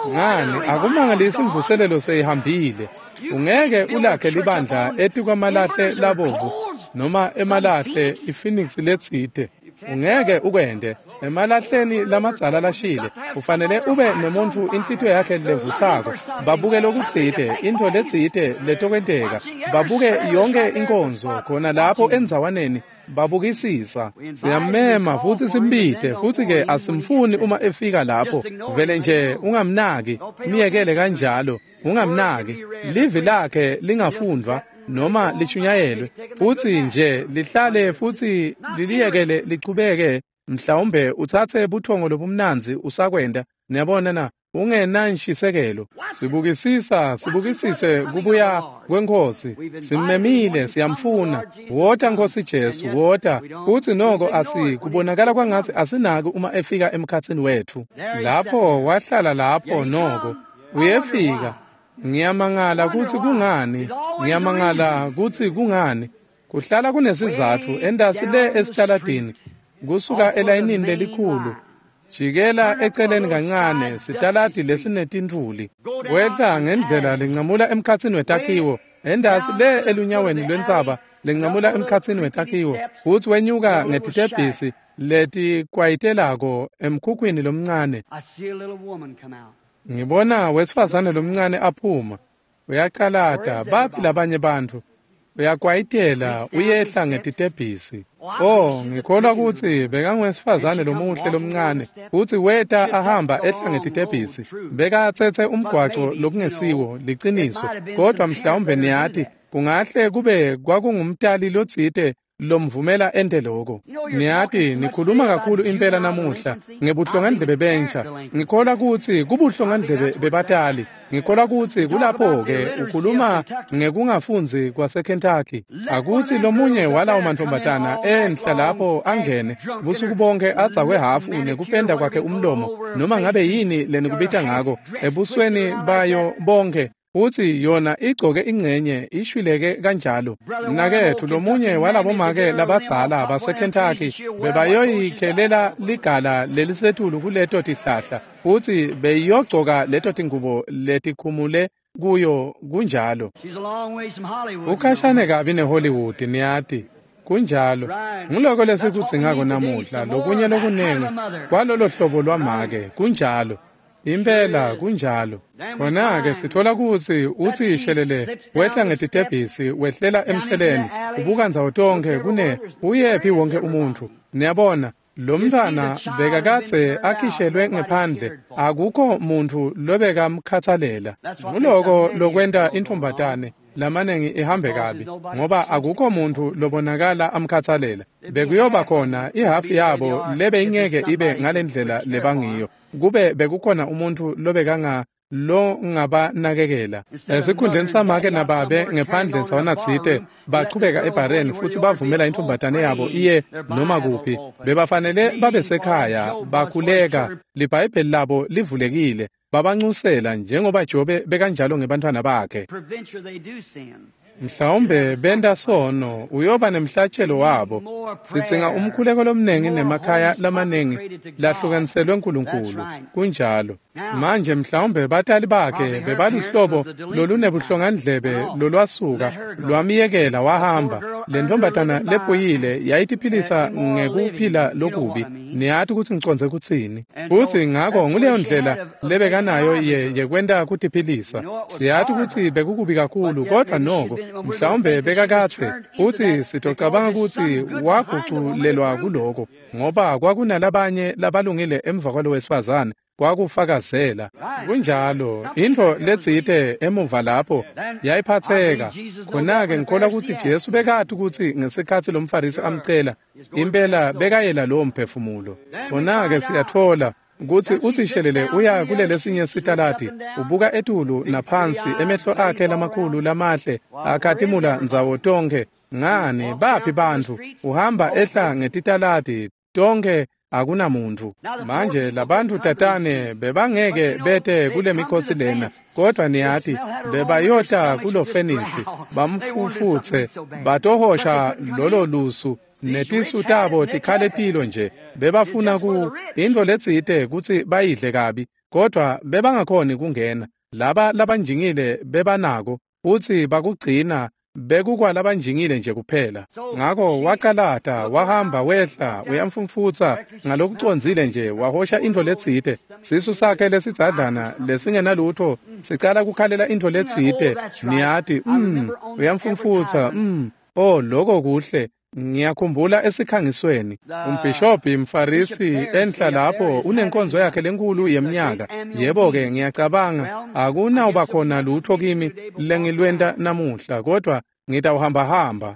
Ngani, akumangalisi imvuselelo seyihambile. Ungeke ulakhe libandla etikwamalahle labovu noma emalahle iPhoenix letsite. Ungeke ukwente emalahleni lamadzala lashile. Ufanele ube nemuntfu inhlitiyo yakhe levutsako, babuke lokutsite, intfo letsite letokwenteka, babuke yonke inkonzo khona lapho endzawaneni, babukisisa. Siyammema futsi simbite, futsi-ke asimfuni uma efika lapho. Vele nje ungamnaki, myekele kanjalo, ungamnaki. Livi lakhe lingafundvwa noma lishunyayelwe, futsi nje lihlale futsi liliyekele lichubeke. Mhlawumbe utsatse buthongo lobumnandzi usakwenta. Niyabona na? Ungenanshisekelo. Sibukisise kubuya kweNkhosi. Simmemile, siyamfuna. Wota Nkhosi Jesu, wota. Futsi noko kubonakala kwangatsi asinaki uma efika emkhatsini wetfu. Lapho wahlala lapho noko uyefika. Ngiyamangala kutsi kungani. Ngiyamangala kutsi kungani. Kuhlala kunesizatfu endasi le esitaladini, kusuka elayinini lelikhulu. Jikela eceleni kancane, sitaladi lesinetintfuli. Wehla ngendlela lencamula emkhatsini wetakhiwo, endasi le elunyaweni lwentsaba lencamula emkhatsini wetakhiwo, futsi wenyuka ngetitebhisi letikwayitelako emkhukhwini lomncane. Ngibona wesifazane lomncane aphuma. Uyacalata, baphi labanye bantfu? Uyakwayitela uyehla ngetitebhisi. Oh, ngikholwa kutsi bekangwesifazane lomuhle lomncane, kutsi weta ahamba ehla ngetitebhisi. Bekatsetse umgwaco lokungesiwo liciniso, kodwa mhlawumbe niyati kungahle kube kwakungumtali lotsite lomvumela ente loko. Niyati nikhuluma kakhulu impela namuhla ngebuhlongandlebe bentsha. Ngikholwa kutsi kubuhlongandlebe bebatali. Ngikholwa kutsi kulapho-ke ukhuluma ngekungafundzi kwaseKentucky. Akutsi lomunye walawo mantfombatana enhla lapho angene busuku bonke adzakwe hhafu nekupenda kwakhe umlomo noma ngabe yini lenikubita ngako ebusweni bayo bonke. Uthi yona igcoke ingcenye ishwileke kanjalo. Mnaketfu lomunye walabomake labadzala baseKentucky bebayoyikhelela ligala lelisetulu kuleto tihlahla futsi beyiyogcoka leto tingubo letikhumule kuyo kunjalo. Ukhashane kabi neHollywood niyati. Kunjalo. Nguloko lesikudzingako namuhla lokunye lokunengi kwalolo hlobo lwamake kunjalo. Impela kunjalo. Khona-ke sithola kutsi utsi shelele wehla ngetitebhisi wehlela emseleni ubuka ndzawo tonkhe kune uyephi wonke umuntfu. Niyabona lo mntfwana bekakadze akhishelwe ngephandle akukho muntfu lobekamkhatsalela. Nguloko lokwenta intfombatane lamanengi ihambe kabi ngoba akukho muntfu lobonakala amkhatsalela. Bekuyoba khona ihafu yabo lebeyingeke ibe ngalendlela lebangiyo. Kube bekukhona umuntfu lobekanga longabanakekela. Esikhundleni samake nababe ngephandle ndzawana-tsite bachubeka ebhareni futsi bavumela intfombatane yabo iye noma kuphi. Bebafanele babe sekhaya bakhuleka liBhayibheli labo livulekile babancusela njengoba Jobe bekanjalo ngebantfwana bakhe. Mhlawumbe benta sono uyoba nemhlatshelo wabo. Sidzinga umkhuleko lomnengi nemakhaya lamanengi lahlukaniselwe uNkulunkulu. Kunjalo. Manje mhlawumbe batali bakhe bebaluhlobo lolunebuhlongandlebe lolwasuka lwamyekela wahamba. Le ntombatana lephuyile yayitiphilisa ngekuphila lokubi. Niyati kutsi ngicondze kutsini. Futsi ngako nguleyo ndlela lebekanayo yekwenta kutiphilisa. Siyati kutsi bekukubi kakhulu kodwa noko mhlawumbe bekakatse futsi sitocabanga kutsi waguculelwa kuloko ngoba kwakunalabanye labalungile emva kwalo wesifazane kwakufakazela. Kunjalo intfo letsite emuva lapho yayiphatseka. Khona-ke ngikholwa kutsi Jesu bekati kutsi ngesikhatsi lomFarisi amcela impela bekayela lowo mphefumulo. Khona-ke siyatfola kutsi utsi shelele uya kulelesinye sitaladi ubuka etulu naphansi emehlo akhe lamakhulu lamahle akhatimula ndzawo tonkhe. Ngani baphi bantfu? Uhamba ehla ngetitaladi tonkhe akunamuntfu. Manje labantfu tatane bebangeke bete kule mikhosi lena kodwa niyati bebayota kulo fenisi bamfufutse batohosha lolo lusu netisu tabo tikhaletilo nje. Bebafuna ku intfo letsite kutsi bayidle kabi kodwa bebangakhoni kungena. Laba labanjingile bebanako futsi bakugcina bekukwalabanjingile nje kuphela. Ngako wacalata wahamba wehla uyamfumfutsa ngalokucondzile nje wahosha intfo letsite. Sisu sakhe lesidzadlana lesingenalutfo sicala kukhalela intfo letsite. Niyati uyamfumfutsa oh loko kuhle. Ngiyakhumbula esikhangisweni umbhishobhi mFarisi enhla lapho unenkonzo yakhe lenkulu yeminyaka. Yebo-ke ngiyacabanga akunawuba khona lutho kimi lengilwenta namuhla kodwa ngitawuhambahamba.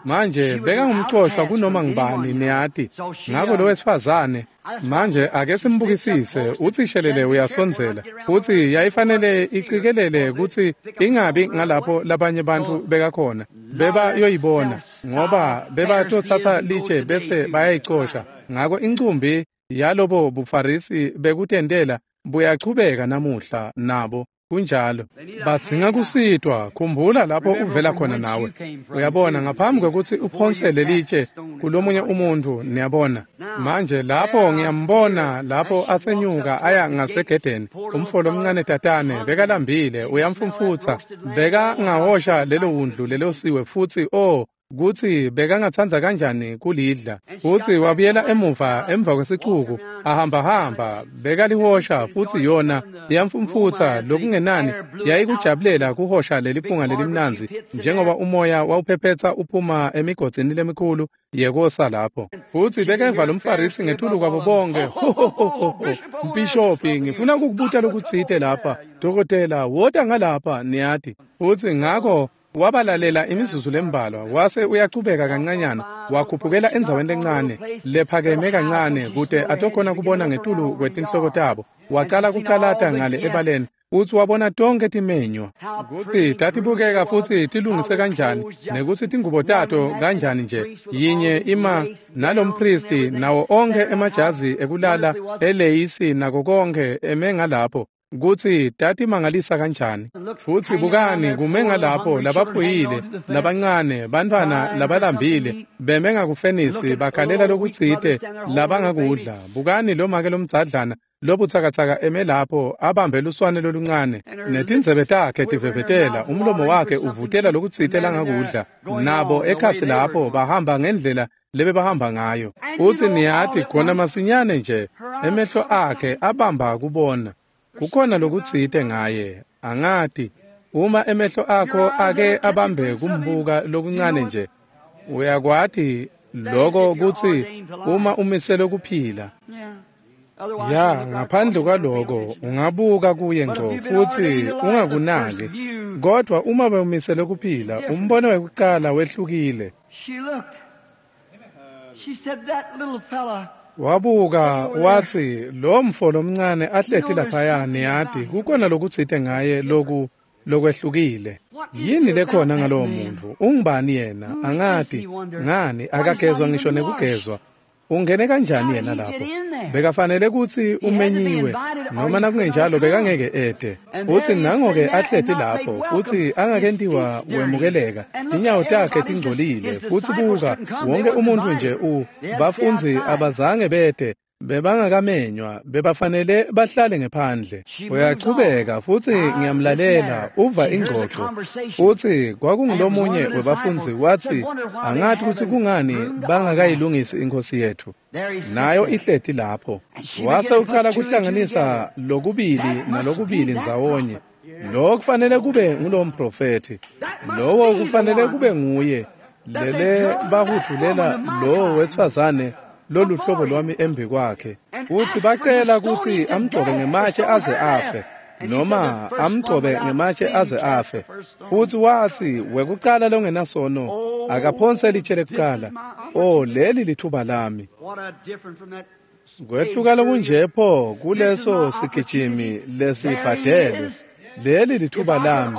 Manje bekangumcoshwa kunoma ngibani niyati. Ngako lo wesifazane manje ake simbukisise utsi shelele uyasondzela futsi yayifanele icikelele kutsi ingabi ngalapho labanye bantfu bekakhona bebayoyibona ngoba bebatotsatsa litshe bese bayayicosha. Ngako incumbi yalobo buFarisi bekutentela buyachubeka namuhla nabo. Kunjalo. Badzinga kusitwa. Khumbula lapho uvela khona nawe. Uyabona ngaphambi kwekutsi uphonse lelitshe kulomunye umuntfu niyabona. Manje lapho ngiyambona lapho asenyuka aya ngasegedeni. Umfo lomncane tatane bekalambile uyamfumfutsa bekangahosha lelo wundlu lelosiwe futsi oh kutsi bekangatsandza kanjani kulidla. Futsi wabuyela emuva emva kwesicuku, ahambahamba, bekalihosha futsi yona yamfumfutsa lokungenani yayikujabulela kuhosha leliphunga lelimnandzi njengoba umoya wawuphephetsa uphuma emigodzini lemikhulu yekosa lapho. Futsi bekeva lomFarisi ngetulu kwabo bonke, ho ho ho ho, mbhishobhi, ngifuna ukukubuta lokutsite lapha, dokotela, wota ngalapha, niyati. Futsi ngako wabalalela imizuzu lembalwa, wase uyachubeka kancanyana, wakhuphukela endzaweni lencane lephakeme kancane kute atokhona kubona ngetulu kwetinhloko tabo. Wacala kucalata ngale ebaleni, futsi wabona tonke timenywa, kutsi tatibukeka futsi tilungise kanjani, nekutsi tingubo tato kanjani nje, yinye ima nalompristi nawo onkhe emajazi ekulala eleyisi nako konke eme ngalapho, kutsi tatimangalisa kanjani. Futsi bukani kume ngalapho labaphuyile, labancane, bantfwana labalambile, beme ngakufenisi bakhalela lokutsite labangakudla. Bukani lomake lomdzadlana lobutsakatsaka eme lapho abambe luswane loluncane, netindzebe takhe tivevetela, umlomo wakhe uvutela lokutsite langakudla. Nabo ekhatsi lapho bahamba ngendlela lebebahamba ngayo. Futsi niyati khona masinyane nje emehlo akhe abamba kubona. Kukhona lokutsite ngaye, angati. Uma emehlo akho ake abambe kumbuka lokuncane nje, uyakwati lokho kutsi uma umisele kuphila. Ya, ngaphandle kwaloko ungabuka kuye ngco futsi ungakunaki. Kodwa uma bewumisele kuphila, umbono wekucala wehlukile. Wabuka watsi lo mfo lomncane ahleti laphaya, niyati kukhona lokutsite ngaye lokwehlukile. Yini lekhona ngalowo muntu? Ungubani yena? Angati. Ngani akagezwa ngisho nekugezwa. Ungene kanjani yena lapho? Bekafanele kutsi umenyiwe, noma nakungenjalo bekangeke ete. Futsi nango-ke ahleti lapho, futsi angakentiwa wemukeleka. Tinyawo takhe tingcolile, futsi buka, wonke umuntu nje bafundzi abazange bete, bebangakamenywa, bebafanele bahlale ngephandle. Uyachubeka futsi ngiyamlalela, uva ingxoxo. Futsi kwakungulomunye webafundzi watsi, angati kutsi kungani bangakayilungisi inkosi yethu. Nayo ihleti lapho. Wase ucala kuhlanganisa lokubili nalokubili ndzawonye. Lo kufanele kube ngulo mprofethi. Lowo kufanele kube nguye. Lele bahudvulela lo wesifazane loluhlobo lwami embi kwakhe. Futsi bacela kutsi amgcobe ngematshe aze afe, noma amgcobe ngematshe aze afe. Futsi watsi wekucala longenasono akaphonse litshe lekucala. Oh, leli lithuba lami. Kwehluka lokunje pho kuleso sigijimi lesibhadelwe. Leli lithuba lami.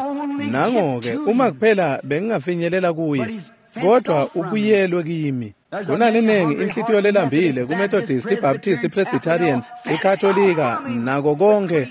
Nango-ke uma kuphela bengingafinyelela kuye, kodwa ubuyelwe kimi. Kunalenengi inhlitiyo lelambile kuMethodist, iBaptist, iPresbyterian, iKatolika nako konke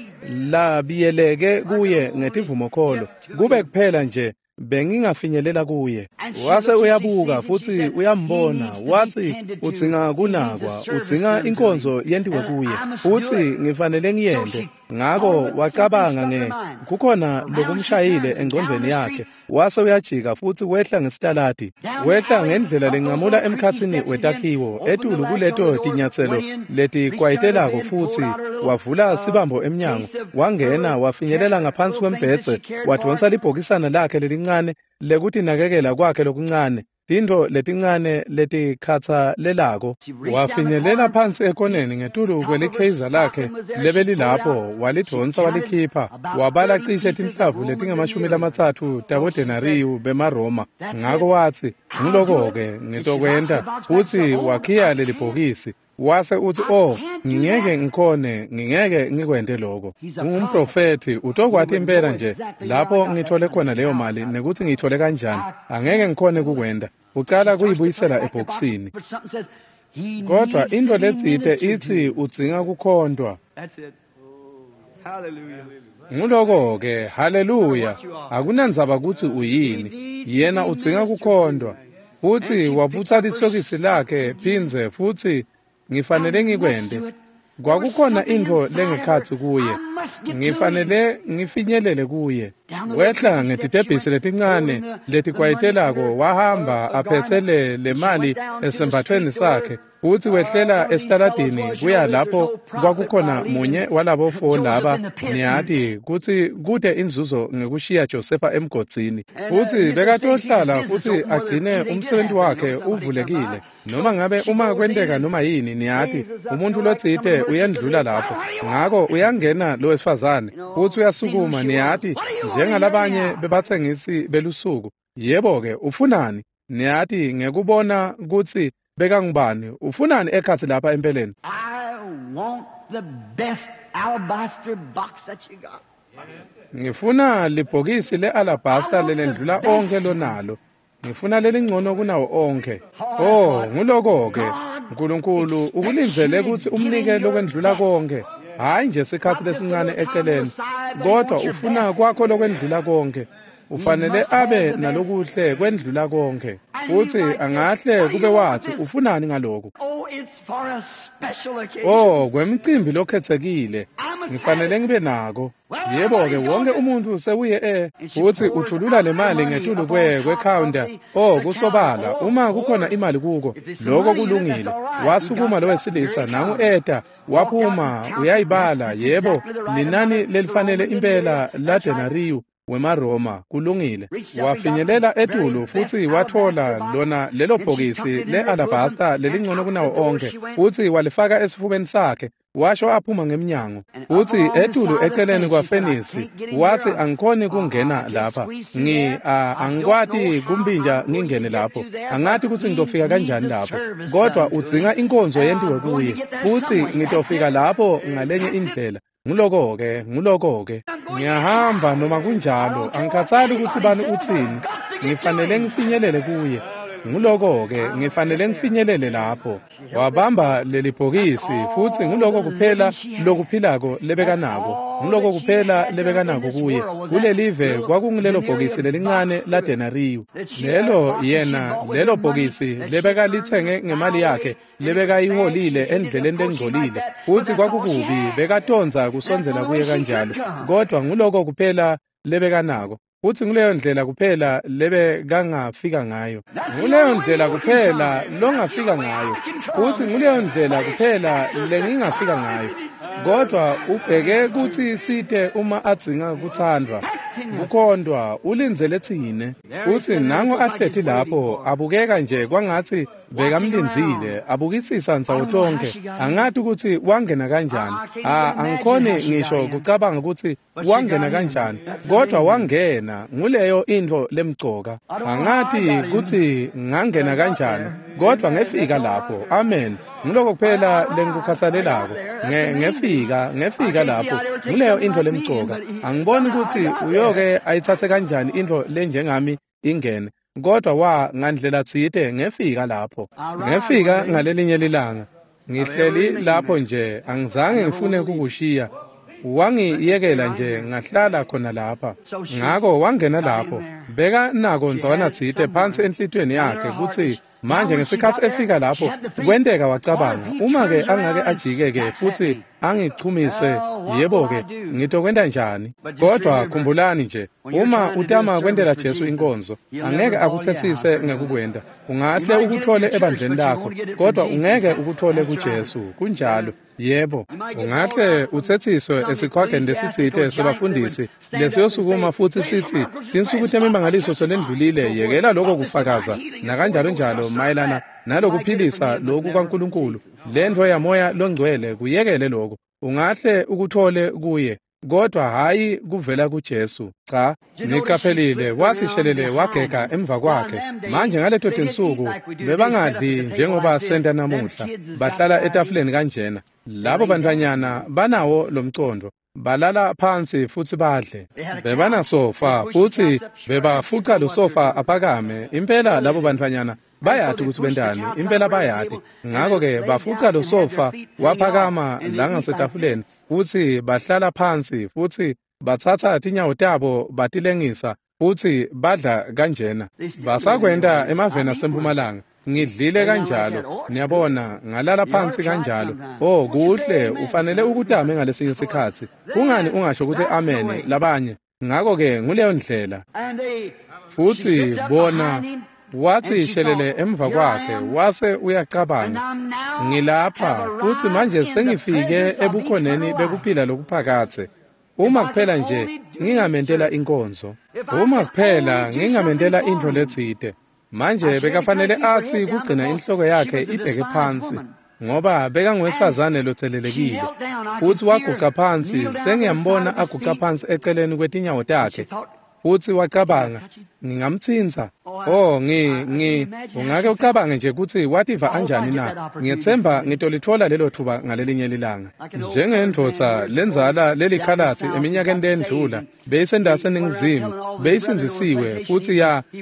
labiyeleke kuye ngetivumokholo. Kube kuphela nje bengingafinyelela kuye. Wase uyabuka futsi uyambona, watsi udzinga kunakwa, udzinga inkonzo yentiwe kuye, futsi ngifanele ngiyente. Ngako wacabanga kukhona lokumshayile engcondvweni yakhe. Wase uyajika futsi wehla ngesitaladi, wehla ngendlela lencamula emkhatsini wetakhiwo etulu kuleto tinyatselo letikwayitelako, futsi wavula sibambo emnyango, wangena wafinyelela ngaphansi kwembhedze, wadvonsa libhokisana lakhe lelincane lekutinakekela kwakhe lokuncane, tintfo letincane letikhatsalelako. Wafinyelela phansi ekoneni ngetulu kwelikheyza lakhe lebelilapho, walidvonsa walikhipha, wabala cishe tinhlavu letingama-30 tabodenariyu bemaRoma. Ngako watsi, ngiloko-ke ngitokwenta. Futsi wakhiya lelibhokisi. Wase utsi, oh, ngingeke ngikhone, ngingeke ngikwente lokho. Ungumprofethi, utokwati impela nje lapho ngithole khona leyo mali nekuthi ngiyithole kanjani. Angeke ngikhone kukwenta. Ucala kuyibuyisela ebhokisini. Kodwa intfo letsite itsi udzinga kukhontwa. Nguloko-ke, haleluya. Akunandzaba kutsi uyini, yena udzinga kukhontwa. Futsi wabutsa lisokisi lakhe phindze futsi ngifanele ngikwente. Kwakukhona intfo lengekhatsi kuye. Ngifanele ngifinyelele kuye. Wehla ngetitebhisi letincane letikwayitelako, wahamba aphetse le mali esembathweni sakhe, futsi wehlela esitaladini kuya lapho kwakukhona munye walabo fo laba, niyati kutsi kute inzuzo ngekushiya Josefa emgodzini. Futsi bekatohlala futsi agcine umsebenzi wakhe uvulekile. Noma ngabe uma kwenteka noma yini, niyati umuntu lotsite uyendlula lapho. Ngako uyangena lo wesifazane futsi uyasukuma, niyati, njengalabanye bebatsengisi belusuku. Yebo-ke, ufunani? Niyati ngekubona kutsi bekangubani, ufunani ekhatsi lapha empeleni? Ngifuna libhokisi le-alabasta lelendlula onkhe lonalo. Ngifuna lelingcono kunawo onkhe. Oh, nguloko-ke. Nkulunkulu ukulindzele kutsi umnike lokwendlula konke. Hhayi nje sikhatsi lesincane eceleni, kodwa ufuna kwakho lokwendlula konke. Ufanele abe nalokuhle kwendlula konke. Futsi angahle kube wathi ufunani ngaloku? Oh, kwemicimbi lokhetsekile. Ngifanele ngibe nako. Yebo-ke, wonke umuntu sewuye futsi uthulula le mali ngetulu kwe-counter. Oh, kusobala, uma kukhona imali kuko, lokho kulungile. Wasukuma lo wesilisa, nangu eta, waphuma, uyayibala, yebo, linani lelifanele impela la denariyu wemaRoma, kulungile. Wafinyelela etulu futsi watfola lona lelo bhokisi le-alabasta lelingcono kunawo onke, futsi walifaka esifubeni sakhe, washo aphuma ngemnyango. Futsi etulu eceleni kwafenisi wathi, angikhoni kungena lapha, angikwati kumpinja ngingene lapho, angati kutsi ngitofika kanjani lapho, kodwa udzinga inkonzo yentiwe kuye, futsi ngitofika lapho ngalenye indlela. Nguloko-ke, nguloko-ke. Ngiyahamba noma kunjalo, angikhathali kutsi bani utsini, ngifanele ngifinyelele kuye. Nguloko-ke, ngifanele ngifinyelele lapho. Wabamba leli bhokisi, futsi nguloko kuphela lokuphilako lebekanako. Nguloko kuphela lebekanako kuye. Kulelive kwakungulelo bhokisi lelincane la denariyu. Lelo yena, lelo bhokisi lebekalitsenge ngemali yakhe, lebekayiholile endleleni lengcolile. Futsi kwakukubi, bekatondza kusondzela kuye kanjalo. Kodwa nguloko kuphela lebekanako. Futsi nguleyo ndlela kuphela lebekangafika ngayo. Nguleyo ndlela kuphela longafika ngayo. Futsi nguleyo ndlela kuphela lengingafika ngayo. Kodwa ubheke kutsi site uma adzinga kutsandvwa, kukhondwa, ulindzele tsine. Futsi nangu ahleti lapho, abukeka nje kwangatsi bekamlindzile, abukisisa ndzawo tonke. Angati kutsi wangena kanjani. Angikhoni ngisho kucabanga kutsi wangena kanjani, kodwa wangena. Nguleyo intfo lemcoka. Angati kutsi ngangena kanjani, kodwa ngefika lapho. Amen. Nguloko kuphela lengikukhathalelako. Ngefika lapho. Nguleyo intfo lemcoka. Angiboni kutsi uyoke ayitsatse kanjani intfo lenjengami ingene, kodwa ngandlela tsite ngefika lapho. Ngefika ngalelinye lilanga. Ngihleli lapho nje, angizange ngifune kukushiya. Wangiyekela nje ngahlala khona lapha. Ngako wangena lapho. Beka nako ndzawana tsite phansi enhlitiyweni yakhe kutsi manje ngesikhatsi efika lapho kwenteka wacabanga, uma-ke angake ajike-ke futsi angichumise, yebo-ke, ngitokwenta njani? Kodwa khumbulani nje, uma utama kwentela Jesu inkonzo, angeke akutsetsise ngekukwenta. Ungahle ukuthole ebandleni lakho, kodwa ungeke ukuthole kuJesu. Kunjalo. Yebo, ungahle utsetsiswe esikhwageni lesitsite sebafundisi lesiyosukuma futsi sitsi tinsuku temimangaliso selendlulile, yekela lokho kufakaza nakanjalo njalo mayelana nalokuphilisa lokhu kwaNkulunkulu, lentfo yamoya longcwele, kuyekele lokho. Ungahle ukuthole kuye, kodwa hhayi kuvela kuJesu. Cha, niqaphelile, wathi shelele wagega emva kwakhe. Manje ngaleto tinsuku bebangadli njengoba senta namuhla, bahlala etafuleni kanjena. Labo bantfwanyana banawo lomcondo, balala phansi futsi badle. Bebanasofa futsi bebafuca lo sofa aphakame. Impela labo bantfwanyana bayati kutsi bentani, impela bayati. Ngako-ke bafuca lo sofa waphakama la ngasetafuleni, futsi bahlala phansi futsi batsatsa tinyawo tabo batilengisa futsi badla kanjena. Basakwenta emaveni asempumalanga. Ngidlile kanjalo, niyabona, ngalala phansi kanjalo. Oh, kuhle, ufanele ukutame ngalesinye isikhatsi. Kungani ungasho ukuthi amen labanye? Ngakho-ke nguleyo ndlela. Futhi bona wathi shelele emva kwakhe, wase uyacabanga, ngilapha futhi manje sengifike ebukhoneni bekuphila lokuphakathe. Uma kuphela nje ngingamentela inkonzo, uma kuphela ngingamentela intfo letsite. Manje bekafanele athi kugcina inhloko yakhe ibheke phansi, ngoba bekangowesifazane lotselelekile. Futhi waguca phansi, sengiyambona aguca phansi eceleni kwetinyawo takhe. Futhi wacabanga, ngingamtsintsa. Oh, ungake ucabange nje ukuthi wativa anjani na? Ngiyethemba ngitolithola lelo thuba ngalelinye lilanga. Njengendvodza lenzala lelikhalatsi eminyakeni lendlula, beyisendase eNingizimu, beyisindzisiwe futhi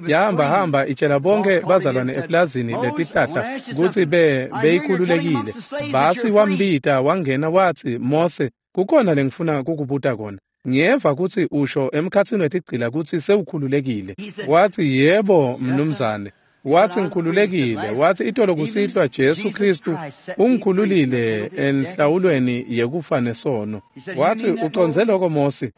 yahamba itshela bonke bazalwane eplazini letihlahla ukuthi beyikhululekile. Basi wambita wangena wathi, Mose, kukhona lengifuna kukubuta kona. Ngiyeva kutsi usho emkhatsini wetigcila kutsi sewukhululekile. Wathi, yebo mnumzane. Wathi ngikhululekile. Wathi itolo kusihlwa Jesu Kristu ungikhululile enhlawulweni yekufa nesono. Wathi uconze lokho Mose?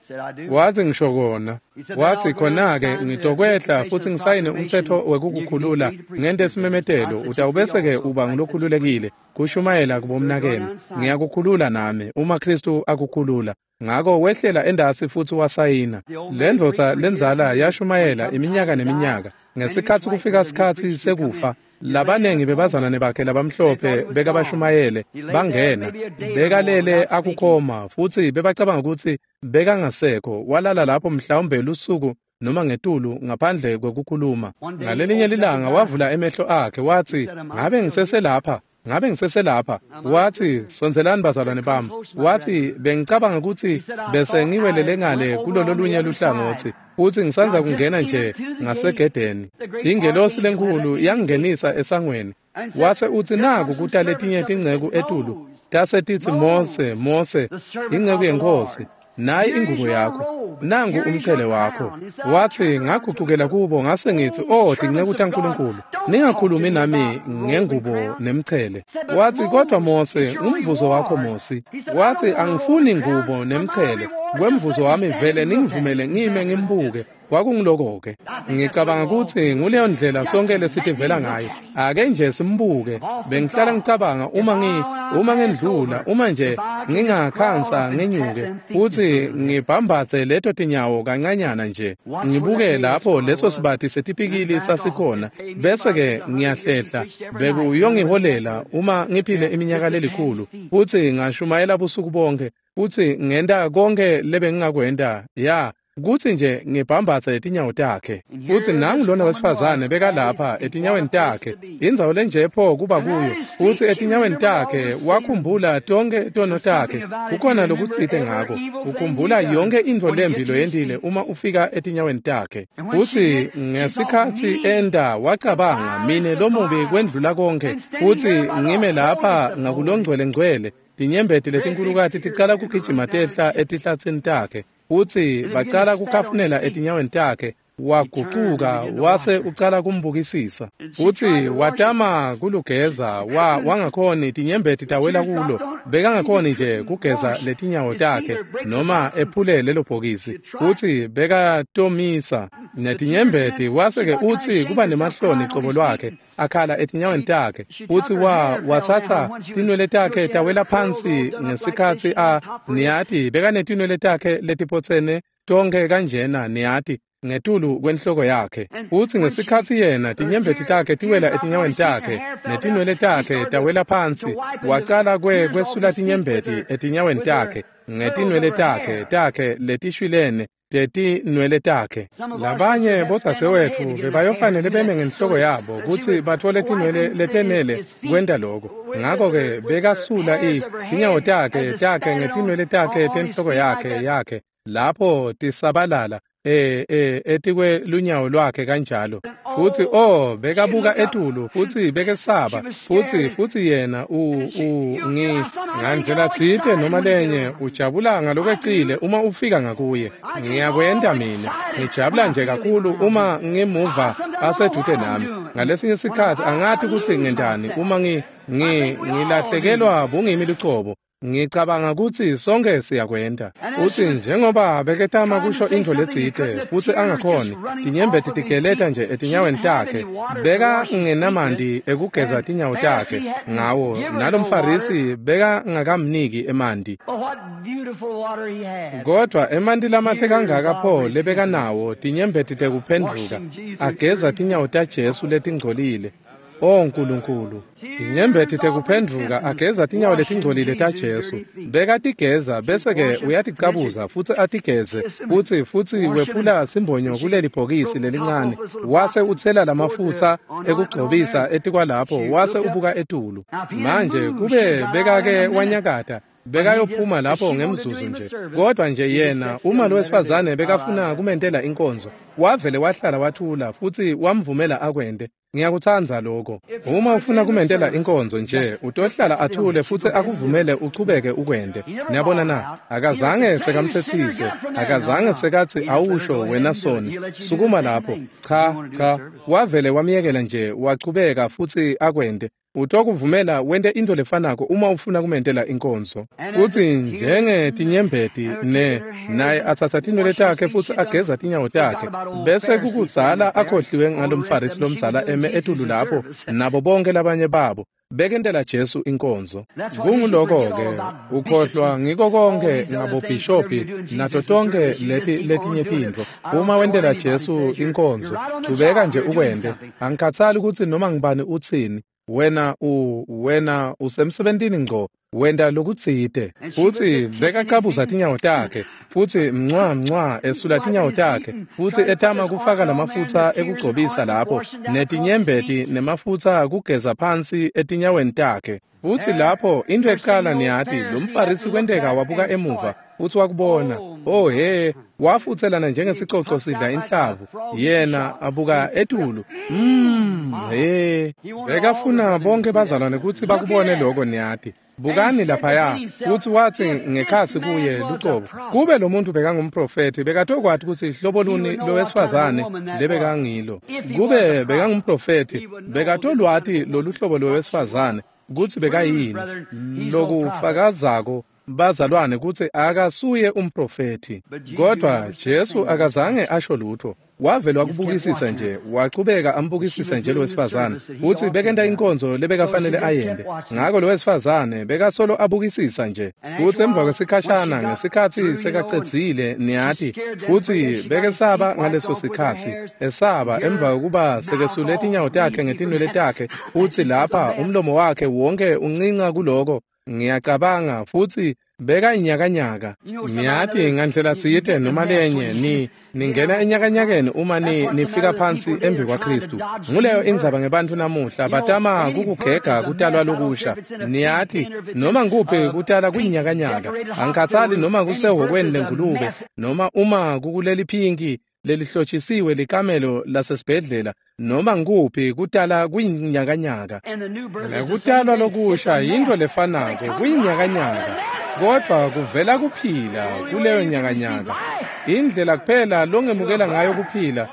Wathi ngisho kona. Wathi khona-ke ngitokwehla futhi ngisayine umthetho wekukukhulula ngente simemetelo, utawubese-ke uba ngulokhululekile kushumayela kubomnakenu. Ngiyakukhulula nami uma Kristu akukhulula. Ngako wehlela endasi futhi wasayina. Le ndvodza lenzala yashumayela iminyaka neminyaka. Ngesikhatsi kufika sikhatsi sekufa, labanengi bebazalwane bakhe labamhlophe bekabashumayele bangena, bekalele akukhoma futhi bebacabanga ukuthi bekangasekho. Walala lapho mhlawumbe lusuku noma ngetulu ngaphandle kwekukhuluma. Ngalelinye lilanga wavula emehlo akhe wathi, ngabe ngiseselapha? Ngabe ngiseselapha? Wathi, sondzelani bazalwane bami. Wathi, bengicabanga ukuthi bese ngiwelele ngale kulololunye luhlangothi, futhi ngisanza kungena nje ngasegedeni. Ingelosi lenkulu yangingenisa esangweni. Wase uthi naku kuta letinye tinceku etulu, tase titsi, Mose, Mose, inceku yenkosi, nayi ingubo yakho, nangu umchele wakho. Wathi ngagucukela kubo ngase ngithi, oh tinceku taNkulunkulu, ningakhulumi nami ngengubo nemchele. Wathi kodwa Mose, umvuzo wakho Mose. Wathi angifuni ngubo nemchele, kwemvuzo wami vele ningivumele ngime ngimbuke. Kwakungiloko-ke. Ngicabanga ukuthi nguleyo ndlela sonke lesitivela ngayo. Ake nje simbuke. Bengihlala ngicabanga uma ngendlula, uma nje ngingakhansa ngenyuke futhi ngibhambathe leto tinyawo kancanyana nje, ngibuke lapho leso sibathi setipikili sasikhona, bese-ke ngiyahlehla. Bekuyongiholela uma ngiphile iminyaka lelikhulu futhi ngashumayela busuku bonke futhi ngenta konke lebengingakwenta. Ya, kuthi nje ngibhambathe etinyawo takhe. Futhi nangu lona wesifazane bekalapha etinyaweni takhe, indzawo lenje pho kuba kuyo. Futhi etinyaweni takhe wakhumbula tonke tono takhe. Kukhona lokutsite ngako, ukhumbula yonke intfo lembi loyentile uma ufika etinyaweni takhe. Futhi ngesikhatsi enda wacabanga, mine lomubi kwendlula konke, futhi ngime lapha ngakulongcwele ngcwele. Tinyembeti letinkulukati ticala kugijima tehla etihlatsini takhe. Futhi bacala kukhafunela etinyaweni takhe. Wagucuka wase ucala kumbukisisa. Futhi watama kulugeza, wangakhoni, tinyembeti tawela kulo. Bekangakhoni nje kugeza letinyawo takhe noma ephule lelo bhokisi. Futhi bekatomisa netinyembeti, wase-ke utsi kuba nemahloni qobo lwakhe, akhala etinyaweni takhe. Futhi wathatha tinwele takhe tawela phansi ngesikhatsi niyati bekanetinwele takhe letiphotsene tonke kanjena, niyati, ngetulu kwenhloko yakhe. Futhi ngesikhatsi yena tinyembeti takhe tiwela etinyaweni takhe netinwele takhe tawela phansi, wacala kwesula tinyembeti etinyaweni takhe ngetinwele takhe letishwilene tetinwele takhe. Labanye bodzadzewetfu bebayofanele beme ngenhloko yabo kutsi batfole tinwele letenele kwenta loko. Ngako-ke bekasula tinyawo takhe ngetinwele takhe tenhloko yakhe lapho tisabalala etikwe lunyawo lwakhe kanjalo. Futhi bekabuka etulu futhi bekesaba futhi yena ngandlela tsite noma lenye ujabula ngalokwecile uma ufika ngakuye. Ngiyakwenta mina, ngijabula nje kakhulu uma ngimuva asedude nami. Ngalesinye sikhatsi angati kutsi ngentani uma ngilahlekelwa bungimi lucobo. Ngicabanga kutsi sonke siyakwenta. Utsi njengoba beketama kusho intfo letsite futsi angakhoni, tinyembeti tigeleta nje etinyaweni takhe. Beka ngenamanti ekugeza tinyawo takhe ngawo, nalomFarisi beka ngakamniki emanti. Kodwa emanti lamahle kangaka pho lebekanawo, tinyembeti tekuphendvuka, ageza tinyawo taJesu letingcolile. O Nkulunkulu, tinyembeti tekuphendvuka ageza tinyawo letingcolile taJesu. Bekatigeza bese-ke uyaticabuza futsi atigeze, futsi wephula simbonyo kuleli bhokisi lelincane, wase utsela lamafutsa ekugcobisa etikwalapho, wase ubuka etulu. Manje kube bekake wanyakata, bekayophuma lapho ngemzuzu nje. Kodwa nje yena, uma lo wesifazane bekafuna kumentela inkonzo, wavele wahlala wathula futsi wamvumela akwente. Ngiyakutsandza lokho. Uma ufuna kumentela inkonzo nje, utohlala athule futsi akuvumele uchubeke ukwente. Niyabona na? Akazange sekamtsetsise, akazange sekatsi awusho wena soni, sukuma lapho. Cha, cha, wavele wamyekela nje, wachubeka futsi akwente. Utokuvumela wente into lefanako uma ufuna kumentela inkonzo. Futsi njengetinyembeti naye atsatsa tinwele takhe futsi ageza tinyawo takhe, bese kukudzala akhohliwe ngalomFarisi lomdzala eme etulu lapho nabo bonke labanye babo bekentela Jesu inkonzo. Kunguloko-ke ukhohlwa ngiko konke ngabobhishopi nato tonke leti letinye tintfo. Uma wentela Jesu inkonzo, chubeka nje ukwente. Angikhatsali kutsi noma ngibani utsini. Wena usemsebentini ngco, wenta lokutsite. Futsi bekacabuza tinyawo takhe, futsi mncwa esula tinyawo takhe, futsi etama kufaka lamafutsa ekugcobisa lapho, netinyembeti nemafutsa kugeza phansi etinyaweni takhe. Futsi lapho into ekuqala niyati, lomFarisi kwenteka wabuka emuva futsi wakubona. Oh he, wafutselana njengesicoco sidla inhlavu. Yena abuka etulu. He, bekafuna bonke bazalwane kutsi bakubone lokho niyati. Bukani laphaya, futsi watsi ngekhatsi kuye lucobo, kube lo muntu bekangumprofethi, bekatokwati kutsi hlobo luni lowesifazane lebekangilo. Kube bekangumprofethi, bekatolwati lolu hlobo lowesifazane kutsi bekayini. Lokufakazako bazalwane kutsi akasuye umprofethi. Kodwa Jesu akazange asho lutho. Wavele wakubukisisa nje, wachubeka ambukisisa nje lowesifazane, futsi bekenta inkonzo lebekafanele ayente. Ngako lowesifazane bekasolo abukisisa nje. Futsi emva kwesikhashana, ngesikhatsi sekacedzile niyati, futsi bekesaba ngaleso sikhatsi, esaba emva kokuba sekesule tinyawo takhe ngetinwele takhe, futsi lapha umlomo wakhe wonke uncinca kuloko. Ngiyacabanga futsi bekayinyakanyaka. Niyati ngandlela tsite noma lenye ningena enyakanyakeni uma nifika phansi embi kwaKristu. Nguleyo indzaba ngebantfu namuhla, batama kukugega kutalwa lokusha. Niyati noma nguphi kutala kuyinyakanyaka. Angikhatsali noma kusehhokweni lengulube noma uma kukuleli phinki lelihlotshisiwe likamelo lasesibhedlela, noma nguphi kutala kuyinyakanyaka. Nekutalwa lokusha yintfo lefanako, kuyinyakanyaka. Kodwa kuvela kuphila kuleyo nyakanyaka. Indlela kuphela longemukela ngayo kuphila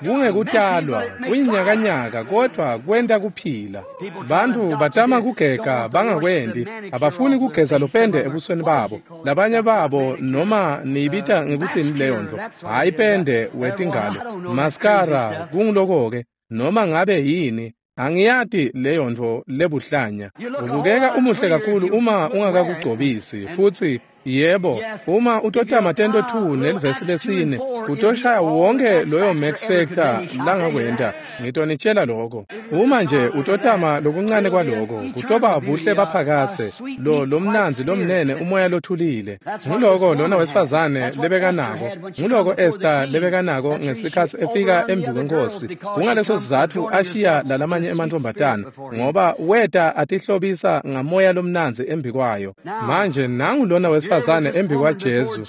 kungekutalwa, kuyinyakanyaka, kodwa kwenta kuphila. Bantfu batama kugega bangakwendi, abafuni kugeza lopende ebusweni babo. Labanye babo noma niyibita ngekutsini leyo nto, hhayi pende wetingalo, maskara, kunguloko-ke, noma ngabe yini. Angiyati leyo nto lebuhlanya. Ubukeka umuhle kakhulu uma ungakakugcobisi, futsi yebo, uma utotama tento 2 nelivesi lesine, utoshaya wonke loyo Max Factor langakwenta. Ngitonitshela lokho. Uma nje utotama lokuncane kwaloko, kutoba buhle baphakatse, lo lomnandzi lomnene umoya lothulile. Nguloko lona wesifazane lebekanako. Nguloko Esther lebekanako ngesikhatsi efika embi kwenkosi. Kungaleso sizatfu ashiya lalamanye emantfombatana, ngoba weta atihlobisa ngamoya lomnandzi embi kwayo. Manje nangu lona wesifazane embi kwaJesu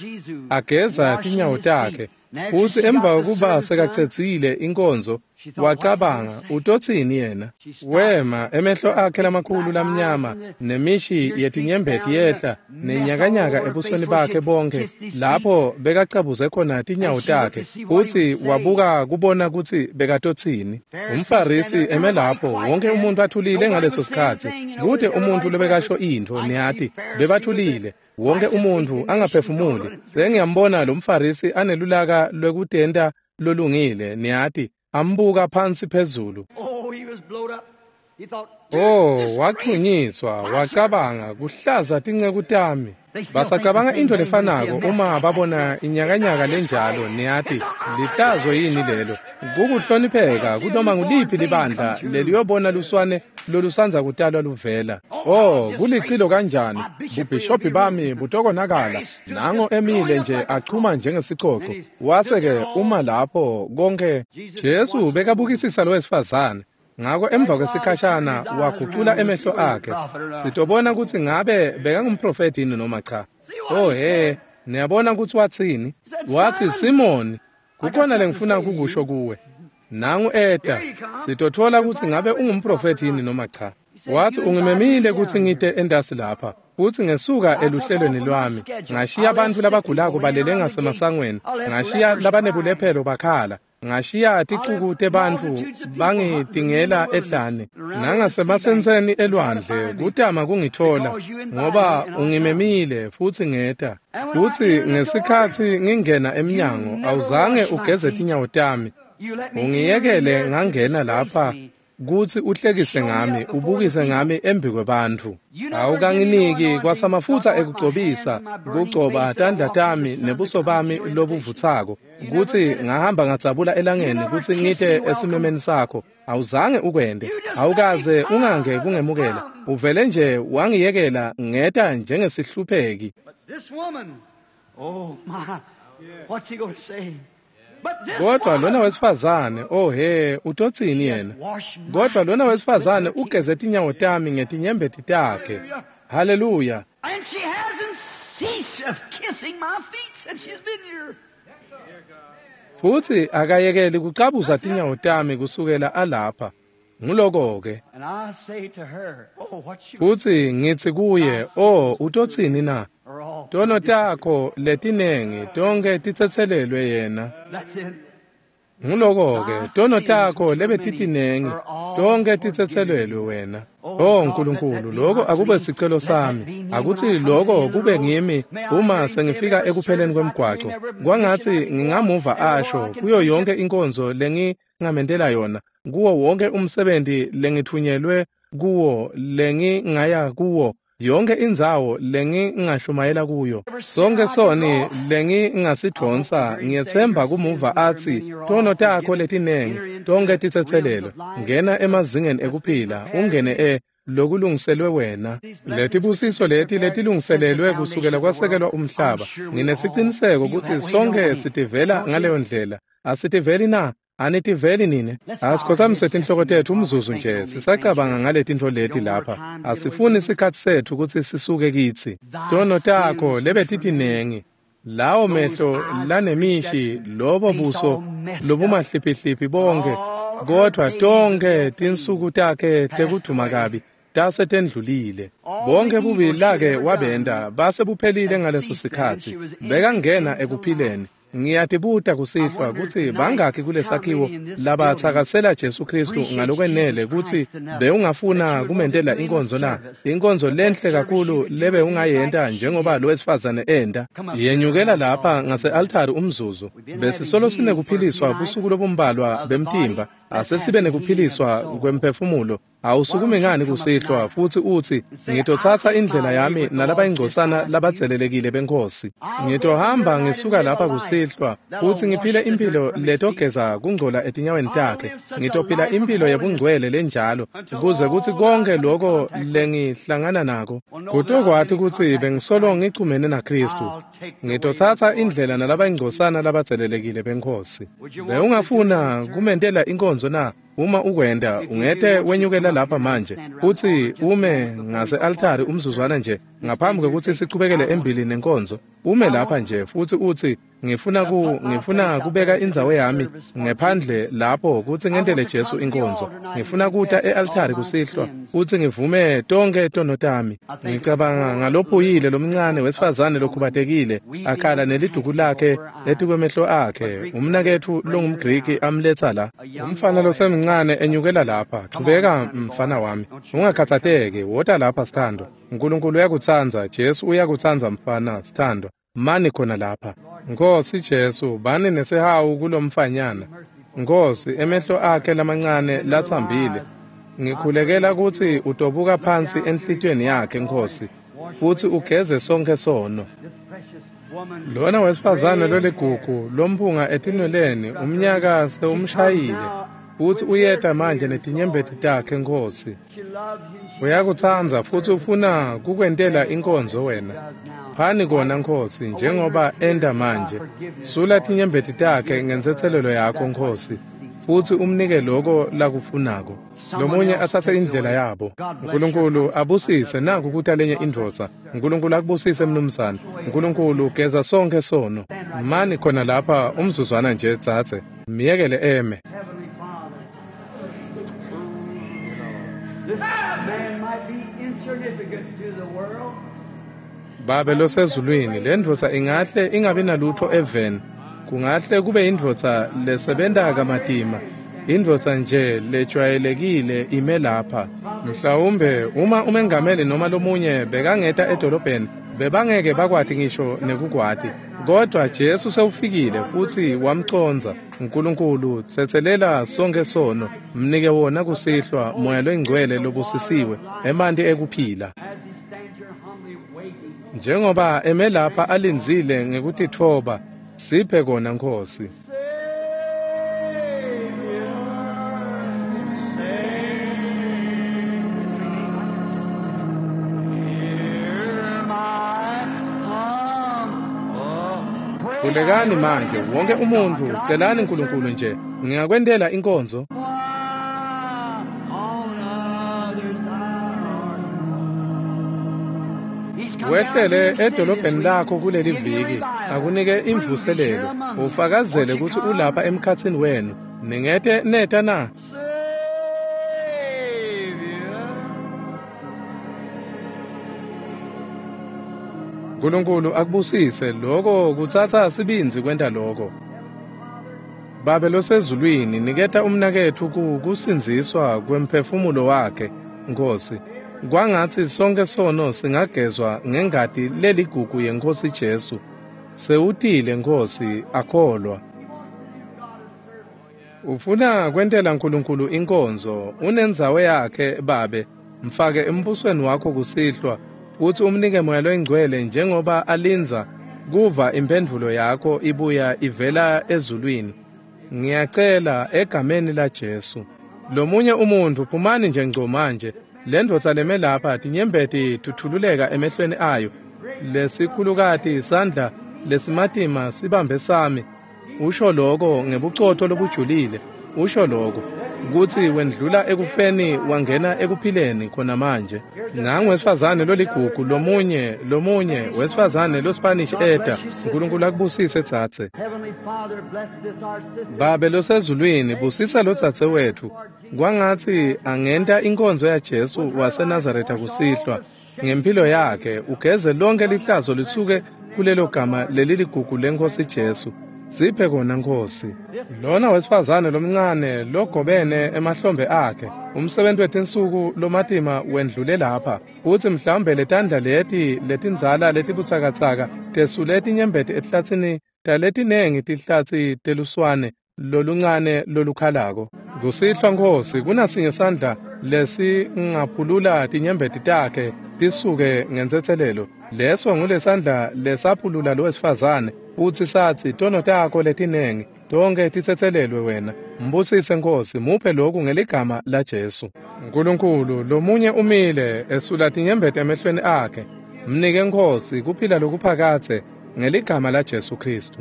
ageza tinyawo takhe, futsi emva kokuba sekacedzile inkonzo Wacabanga, utotsini yena? Wema, emehlo akhe lamakhulu lamnyama, nemishi yetinyembeti yehla, nenyakanyaka ebusweni bakhe bonke, lapho bekacabuze khona tinyawo takhe, futsi wabuka kubona kutsi bekatotsini. UmFarisi eme lapho, wonke umuntu athulile ngaleso sikhatsi. Kute umuntu lobekasho intfo, niyati, bebathulile. Wonke umuntu angaphefumuli. Sengiyambona lo mFarisi anelulaka lwekutenta lolungile, niyati, ambuka phansi phezulu. Oh, wachunyiswa, wacabanga, kuhlaza tinceku tami. Basacabanga intfo lefanako uma babona inyakanyaka lenjalo, niyati, lihlazo yini lelo? Kukuhlonipheka kunoma nguliphi libandla leliyobona luswane lolusanza kutalwa luvela. Oh, kulicilo kanjani, bubhishobhi bami butokonakala. Nango emile nje achuma njengesicoco. Wase-ke uma lapho konke Jesu bekabukisisa lo wesifazane. Ngako emva kwesikhashana wagucula emehlo akhe. Sitobona kutsi ngabe bekangumprofeti yini noma cha. Oh he, niyabona kutsi watsini? Watsi, Simoni, kukhona lengifuna kukusho kuwe. Nangu eta, sitotfola kutsi ngabe ungumprofeti yini noma cha. Watsi, ungimemile kutsi ngite entasi lapha, futsi ngesuka eluhlelweni lwami. Ngashiya bantfu labagulako balele ngasemasangweni, ngashiya labanebulephelo bakhala. Ngashiya ticuku tebantfu bangitingela ehlane nangasemasenseni elwandle kutama kungitfola, ngoba ungimemile futsi ngeta. Futsi ngesikhatsi ngingena emnyango awuzange ugeze tinyawo tami. Ungiyekele ngangena lapha kutsi uhlekise ngami, ubukise ngami embikwebantfu. Awukanginiki kwasamafutsa ekugcobisa, kugcoba tandla tami nebuso bami lobuvutsako, kutsi ngahamba ngadzabula elangeni kutsi ngite esimemeni sakho. Awuzange ukwente, awukaze ungange kungemukela. Uvele nje wangiyekela ngeta njengesihlupheki. Kodwa lona wesifazane, oh he, utotsini yena? Kodwa lona wesifazane ugeze tinyawo tami ngetinyembeti takhe. Haleluya. And she hasn't ceased of kissing my feet since she's been here. Futsi akayekeli kucabuza tinyawo tami kusukela alapha. Nguloko-ke. And I say to her, oh, what she Futsi ngitsi kuye, oh, utotsini na? are all Tono takho letinengi tonke titsetselelwe yena. That's it. Nguloko-ke, tono takho lebetitinengi tonke titsetselelwe wena. Oh Nkulunkulu, lokho akube sicelo sami. Akuthi lokho kube ngimi uma sengifika ekupheleni kwemgwaco. Kwangatsi ngingamuva asho kuyo yonke inkonzo lengingamentela yona, kuwo wonke umsebenzi lengithunyelwe kuwo, lengingaya kuwo, yonke indzawo lengingashumayela kuyo. Sonke soni lengingasidvonsa, ngiyetsemba kumuva atsi, tono takho letinengi tonke titsetselelwe. Ngena emazingeni ekuphila, ungene lokulungiselwe wena. Letibusiso leti letilungiselelwe kusukela kwasekelwa umhlaba. Nginesiciniseko kutsi sonke sitivela ngaleyo ndlela. Asitiveli na? Anitiveli nine? Asikhothamise tinhloko tetfu umzuzu nje, sisacabanga ngaletintfo leti lapha. Asifuni sikhatsi setfu kutsi sisuke kitsi. Tono takho lebetitinengi, lawo mehlo lanemishi, lobo buso lobumahliphihliphi bonke, kodvwa tonke tinsuku takhe tekudvuma kabi tase tendlulile. Bonke bubi lake wabenta base buphelile ngaleso sikhatsi. Bekangena ekuphileni. Ngiyatibuta kusihlwa kutsi bangakhi kulesakhiwo labatsakasela Jesu Kristu ngalokwenele kutsi bewungafuna kumentela inkonzo na? Inkonzo lenhle kakhulu lebewungayenta njengoba lo wesifazane enta. Yenyukela lapha ngase-altari umzuzu. Besisolo sinekuphiliswa busuku lobumbalwa bemtimba. Asesibe nekuphiliswa kwemphefumulo. Awusukumi ngani kusihlwa futsi utsi, ngitotsatsa indlela yami nalabayingcosana labatselelekile beNkhosi. Ngitohamba ngisuka lapha kusihlwa futsi ngiphile impilo letogeza kungcola etinyaweni takhe. Ngitophila impilo yebungcwele lenjalo kuze kutsi konke loko lengihlangana nako kutokwati kutsi bengisolo ngichumene naKhristu. Ngitotsatsa indlela nalabayingcosana labatselelekile beNkhosi. Bewungafuna kumentela inkonzo na? Uma ukwenta, ungete wenyukela lapha manje futsi ume ngase-altari umzuzwana nje ngaphambi kwekutsi sichubekele embili nenkonzo. Ume lapha nje futsi utsi, Ngifuna kubeka indzawo yami ngephandle lapho kutsi ngentele Jesu inkonzo. Ngifuna kuta e-altari kusihlwa kutsi ngivume tonkhe tono tami. Ngicabanga ngalophuyile lomncane wesifazane lokhubatekile akhala neliduku lakhe etikwemehlo akhe, umnaketfu longumGriki amletsa la. Umfana losemncane enyukela lapha. Chubeka mfana wami, ungakhatsateki, wota lapha sithandwa. Nkulunkulu uyakutsandza, Jesu uyakutsandza mfana sithandwa. Mani khona lapha. Nkosi Jesu, bani nesihawu kulomfanyana. Nkosi, emehlo akhe lamancane latsambile. Ngikhulekela kutsi utobuka phansi enhlitiyweni yakhe, Nkosi, futsi ugeze sonkhe sono. Lona wesifazane loligugu lomphunga etinweleni umnyaka sewumshayile, futsi uyeta manje netinyembeti takhe, Nkosi. Uyakutsandza futsi ufuna kukwentela inkonzo wena. Phani kona, Nkosi, njengoba enta manje. Sula tinyembeti takhe ngentsetselelo yakho, Nkosi, futsi umnike loko lakufunako. Lomunye atsatse indlela yabo. Nkulunkulu abusise. Naku kuta lenye indvodza. Nkulunkulu akubusise, mnumzane. Nkulunkulu geza sonkhe sono. Mani khona lapha umzuzwana nje, dzadze. Myekele eme. Heavenly Father, this man might be insignificant to the world. Babe losezulwini, le ndvodza ingahle ingabi nalutho eveni. Kungahle kube indvodza lesebenta kamatima, indvodza nje lejwayelekile ime lapha. Mhlawumbe uma umengameli noma lomunye bekangeta edolobheni, bebangeke bakwati ngisho nekukwati. Kodwa Jesu sewufikile futsi wamcondza. Nkulunkulu, tsetselela sonkhe sono, mnike wona kusihlwa moya loyingcwele lobusisiwe, emanti ekuphila. As he stands here humbly waiting, Njengoba eme lapha alindzile ngekutitfoba, siphe kona, Nkosi. Savior, Savior, hear my humble prayer. Khulekani manje wonke umuntu, celani Nkulunkulu nje. Ngingakwentela inkonzo. Why on others thou art. He's come down to Wehlele your city this edolobheni week. lakho kuleli Give you viki, revival. akunike Prove he's here imvuselelo, among you. ufakazele Won't you kutsi come? ulapha emkhatsini wenu. Ningete neta na? Savior. Nkulunkulu akubusise. Loko kutsatsa sibindzi kwenta loko. Babe losezulwini, niketa umnaketfu kusindziswa kwemphefumulo wakhe, Nkosi. Kwangatsi sonkhe sono singagezwa ngengati leligugu yeNkosi Jesu. Sewutile, Nkosi, akholwa. Ufuna kwentela Nkulunkulu inkonzo, unendzawo yakhe, Babe. Mfake embusweni wakho kusihlwa, kutsi umnike moya loyingcwele njengoba alindza kuva imphendvulo yakho ibuya ivela ezulwini. Ngiyacela egameni la Jesu. Lomunye umuntu, phumani nje ngco manje. Le ndvodza leme lapha, tinyembeti tuthululeka emehlweni ayo. Lesikhulukati sandla lesimatima sibambe sami. Usho loko ngebucotho lobujulile. Usho loko kutsi wendlula ekufeni wangena ekuphileni khona manje. Nangu wesifazane loligugu, lomunye wesifazane loSpanish eta. Nkulunkulu akubusise, dzadze. Heavenly Father, bless this our sister. Babe losezulwini, busisa lo dzadze wetfu. Kwangatsi angenta inkonzo yaJesu waseNazaretha kusihlwa. Ngempilo yakhe ugeze lonke lihlazo lisuke kulelo gama leliligugu leNkosi Jesu. Siphe kona, Nkosi. Lona wesifazane lomncane logobene emahlombe akhe, umsebenzi wetinsuku lomatima wendlule lapha, kutsi mhlawumbe letandla leti letindzala letibutsakatsaka tesule tinyembeti etihlatsini taletinengi tihlatsi teluswane loluncane lolukhalako. Kusihlwa, Nkosi, kunasinye sandla lesingaphulula tinyembeti takhe tisuke ngentsetselelo. Leso ngulesandla lesaphulula lo wesifazane futsi satsi, tono takho letinengi tonke titsetselelwe wena. Mbusise, Nkosi, muphe lokhu ngeligama laJesu. Nkulunkulu, lomunye umile esula tinyembeti emehlweni akhe. Mnike, Nkosi, kuphila lokuphakadze ngeligama laJesu Khristu.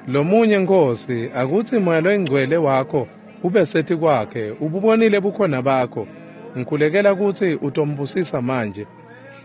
Lomunye, Nkosi, akutsi moya loyingcwele wakho ube setikwakhe, ububonile bukhona bakho. Ngikhulekela kutsi utombusisa manje.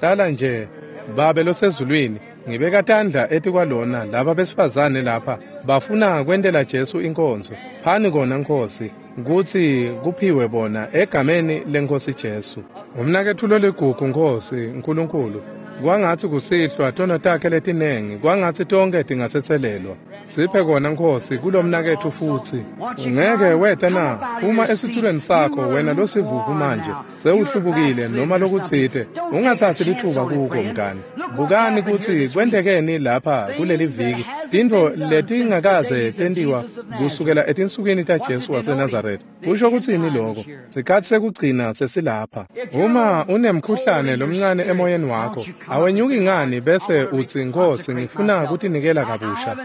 Hlala nje, Babe losezulwini. Ngibeka tandla etikwalona laba besifazane lapha bafuna kwentela Jesu inkonzo. Phani kona Nkosi kutsi kuphiwe bona egameni leNkosi Jesu. Umnaketfu loligugu Nkosi Nkulunkulu, kwangatsi kusihlwa tono takhe letinengi, kwangatsi tonkhe tingatsetselelwa. Siphe kona Nkosi kulomnaketfu futsi. Ungeke weta na uma esitulweni sakho wena losivuvu manje sewuhlubukile noma lokutsite, ungatsatsi litfuba kuko mngani. Bukani kutsi kwentekeni lapha kuleli viki, tintfo letingakaze tentiwa kusukela etinsukwini taJesu waseNazaretha. Kusho kutsini loko? Sikhatsi sekugcina sesilapha. Uma unemkhuhlane lomncane emoyeni wakho, awenyuki ngani bese utsi Nkosi ngifuna kutinikela kabusha.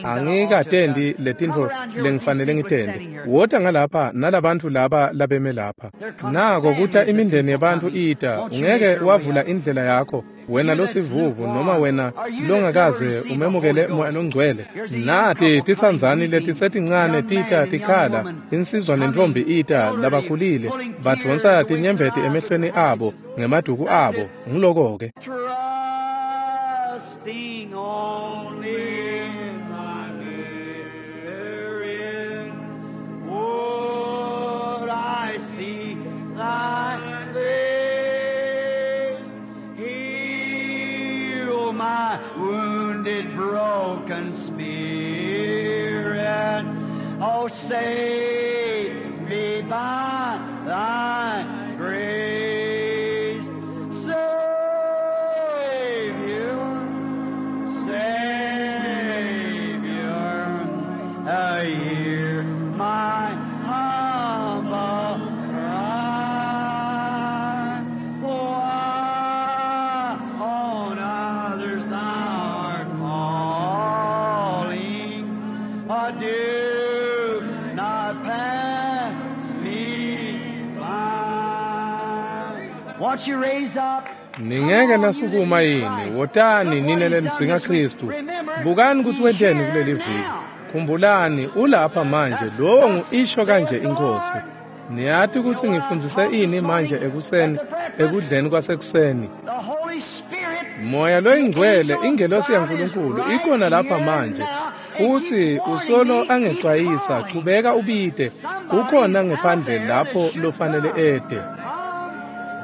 Angikatendi letintfo lengifanele ngitende. Wota ngalapha nalabantfu laba labeme lapha. Nako kuta imindeni yebantfu ita, ungeke wavula indlela yakho wena losivuvu noma wena longakaze umemukele Moya Longcwele. Nati titsandzani letisetincane tita tikhala, insizwa nentfombi ita labakhulile badvonsa tinyembeti emehlweni abo ngemaduku abo. Nguloko-ke. Trusting only in thy therein would I see thy face. Heal my wounded, broken spirit. Oh, save me by thy grace. Savior, Savior, hear my humble cry. Why on others thou art calling, do not pass me by. Won't you raise up? Ningeke nasukuma yini, wotani nine lenidzinga Khristu. Bukani kutsi wenteni kuleli viki. Khumbulani ulapha manje, lowo ngu-isho kanje iNkosi. Niyati kutsi ngifundzise ini manje ekuseni, ekudleni kwasekuseni. The Holy Spirit Moya loyingcwele ingelosi yaNkulunkulu ikhona lapha manje futsi usolo angecwayisa, chubeka ubite, ukhona ngephandle lapho lofanele ete.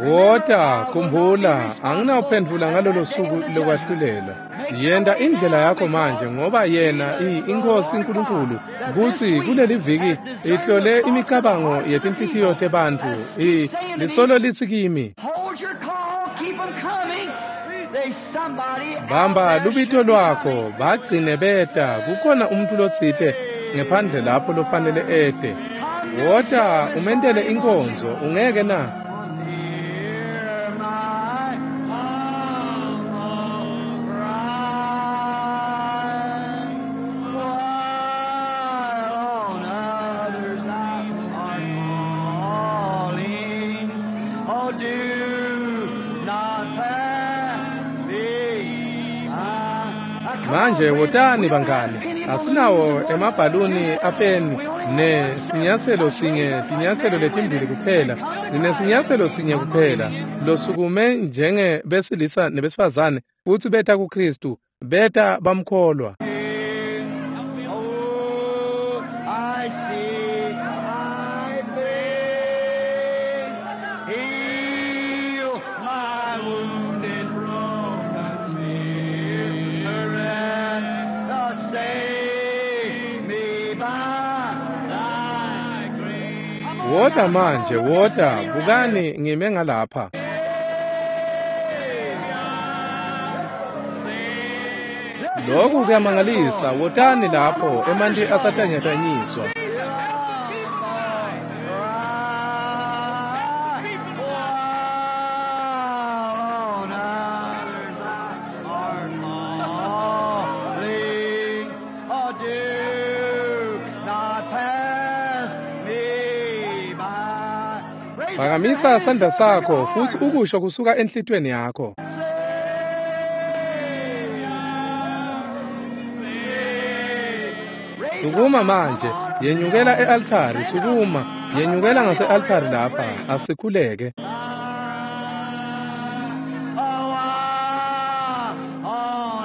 Wota, khumbula, anginawuphendvula ngalolo suku lokwahlulelwa. Yenta indlela yakho manje ngoba yena iNkosi Nkulunkulu kutsi kuleli viki ihlole imicabango yetinhlitiyo tebantfu. Lisolo litsi kimi, Hold your call, keep 'em coming. There's somebody out bamba there lubito should be lwakho, coming. bagcine beta, kukhona umuntu lotsite ngephandle lapho lofanele ete. Wota umentele inkonzo, ungeke na? Hear my humble cry. While on others thou art calling, oh, do not pass me by. Now, come on, Manje friends. wotani We don't have bangani, penny asinawo balloons and emabhaluni apeni ne sinyatselo sinye, tinyatselo letimbili kuphela, sinesinyatselo sinye kuphela, losukume njenge besilisa nebesifazane futsi beta kuKristu, beta bamkholwa. Oh, I see thy face. Heal my wounded, broken spirit. Save me by thy grace. Wota manje, wota, bukani ngime ngalapha. Lokhu kuyamangalisa, wotani lapho emanti asatanyatanyiswa. Phakamisa sandla sakho futsi ukusho kusuka enhlitiyweni yakho. Sukuma manje, yenyukela e-altari, sukuma, yenyukela ngase-altari lapha, asikhuleke. Oh,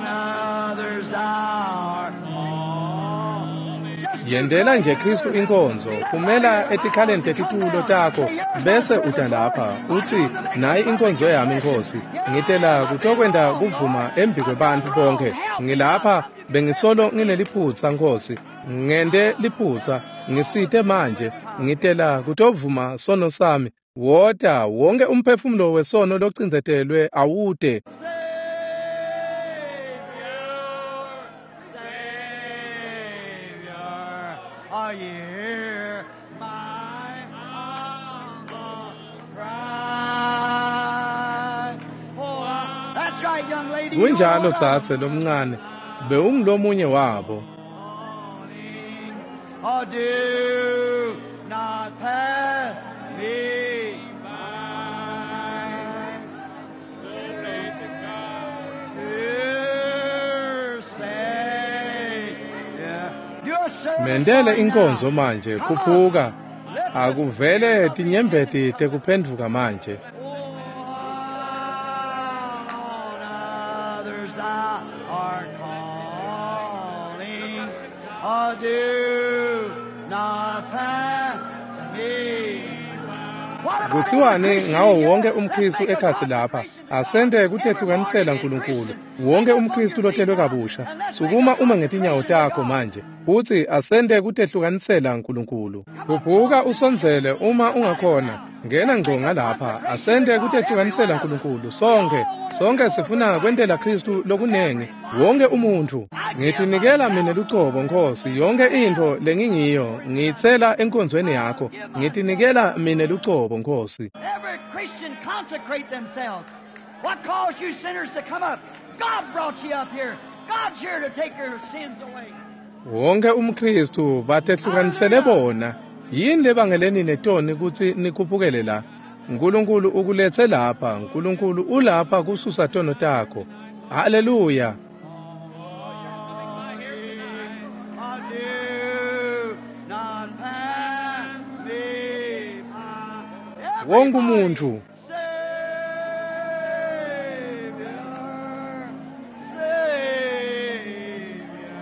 Yendela nje Kristu inkonzo, phumela etikhaleni tetitulo takho bese uta lapha uthi, nayi inkonzo yami Nkosi, ngitela kutokwenta kuvuma embi kwebantfu bonke. Ngilapha bengisolo ngineliphutsa Nkosi, ngente liphutsa, ngisite manje, ngitela kutovuma sono sami. Wota wonke umphefumulo wesono locindzetelwe awute. Savior, are you hear my humble cry? Oh, that's right, young lady. Kunjalo dzadze lomncane, bewungulomunye wabo. Oh, do not pass me by. Dear Savior, your service Mendele right inkonzo now. manje, Come on. khuphuka. Let the Akuvele tinyembeti tekuphendvuka manje. On others thou art calling, oh, do not pass me. What about Kuthiwani every ngawo Christian wonke here? Let's umKristu make a ekhatsi lapha? consecration. Asente kutehlukanisela uNkulunkulu. Wonke umKristu lotelwe kabusha, sukuma uma ngetinyawo takho manje. Futhi asente kutehlukanisela uNkulunkulu. Khuphuka usondzele uma ungakhona. Ngena ngco ngalapha, asente kutehlukanisela uNkulunkulu sonke. Sonke sifuna kwentela Kristu lokunengi. Wonke umuntfu. Ngitinikela mina lucobo Nkosi, yonke intfo lengingiyo ngiyitsela enkonzweni yakho. Ngitinikela mina lucobo Nkosi. Every Christian consecrate themselves. What caused you sinners to come up? God brought you up here. God's here to take your sins away. Wonke umKristu batehlukanisele bona. Yini lebangeleni netoni kutsi nikhuphukele la? uNkulunkulu ukuletse lapha, uNkulunkulu ulapha kususa tono takho. Haleluya. Oh, do not pass me by. Wonke umuntfu Savior, Savior,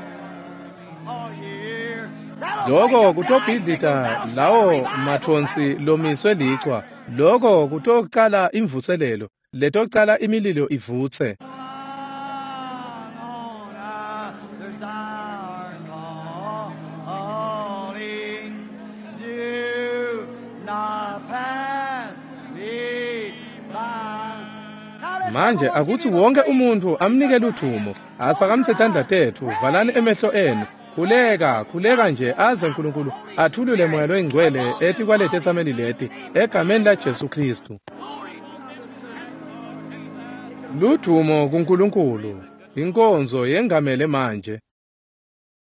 oh, hear. That'll Lokho break up the kutobhidlita icicles. That'll start lawo revival. mathonsi lomiswe lichwa. Lokho kutocala imvuselelo, letocala imililo ivutse. On others thou art calling, do not pass me by. Now let's Manje everyone akuthi give him a wonke praise. umuntu amnike luthumo. Asiphakamise tandla tethu, valani emehlo enu. Khuleka, khuleka nje aze uNkulunkulu athulule moya loyingcwele etikwaleti etsameli leti egameni la Jesu Kristu. Ludumo kuNkulunkulu. Inkonzo yengamele manje.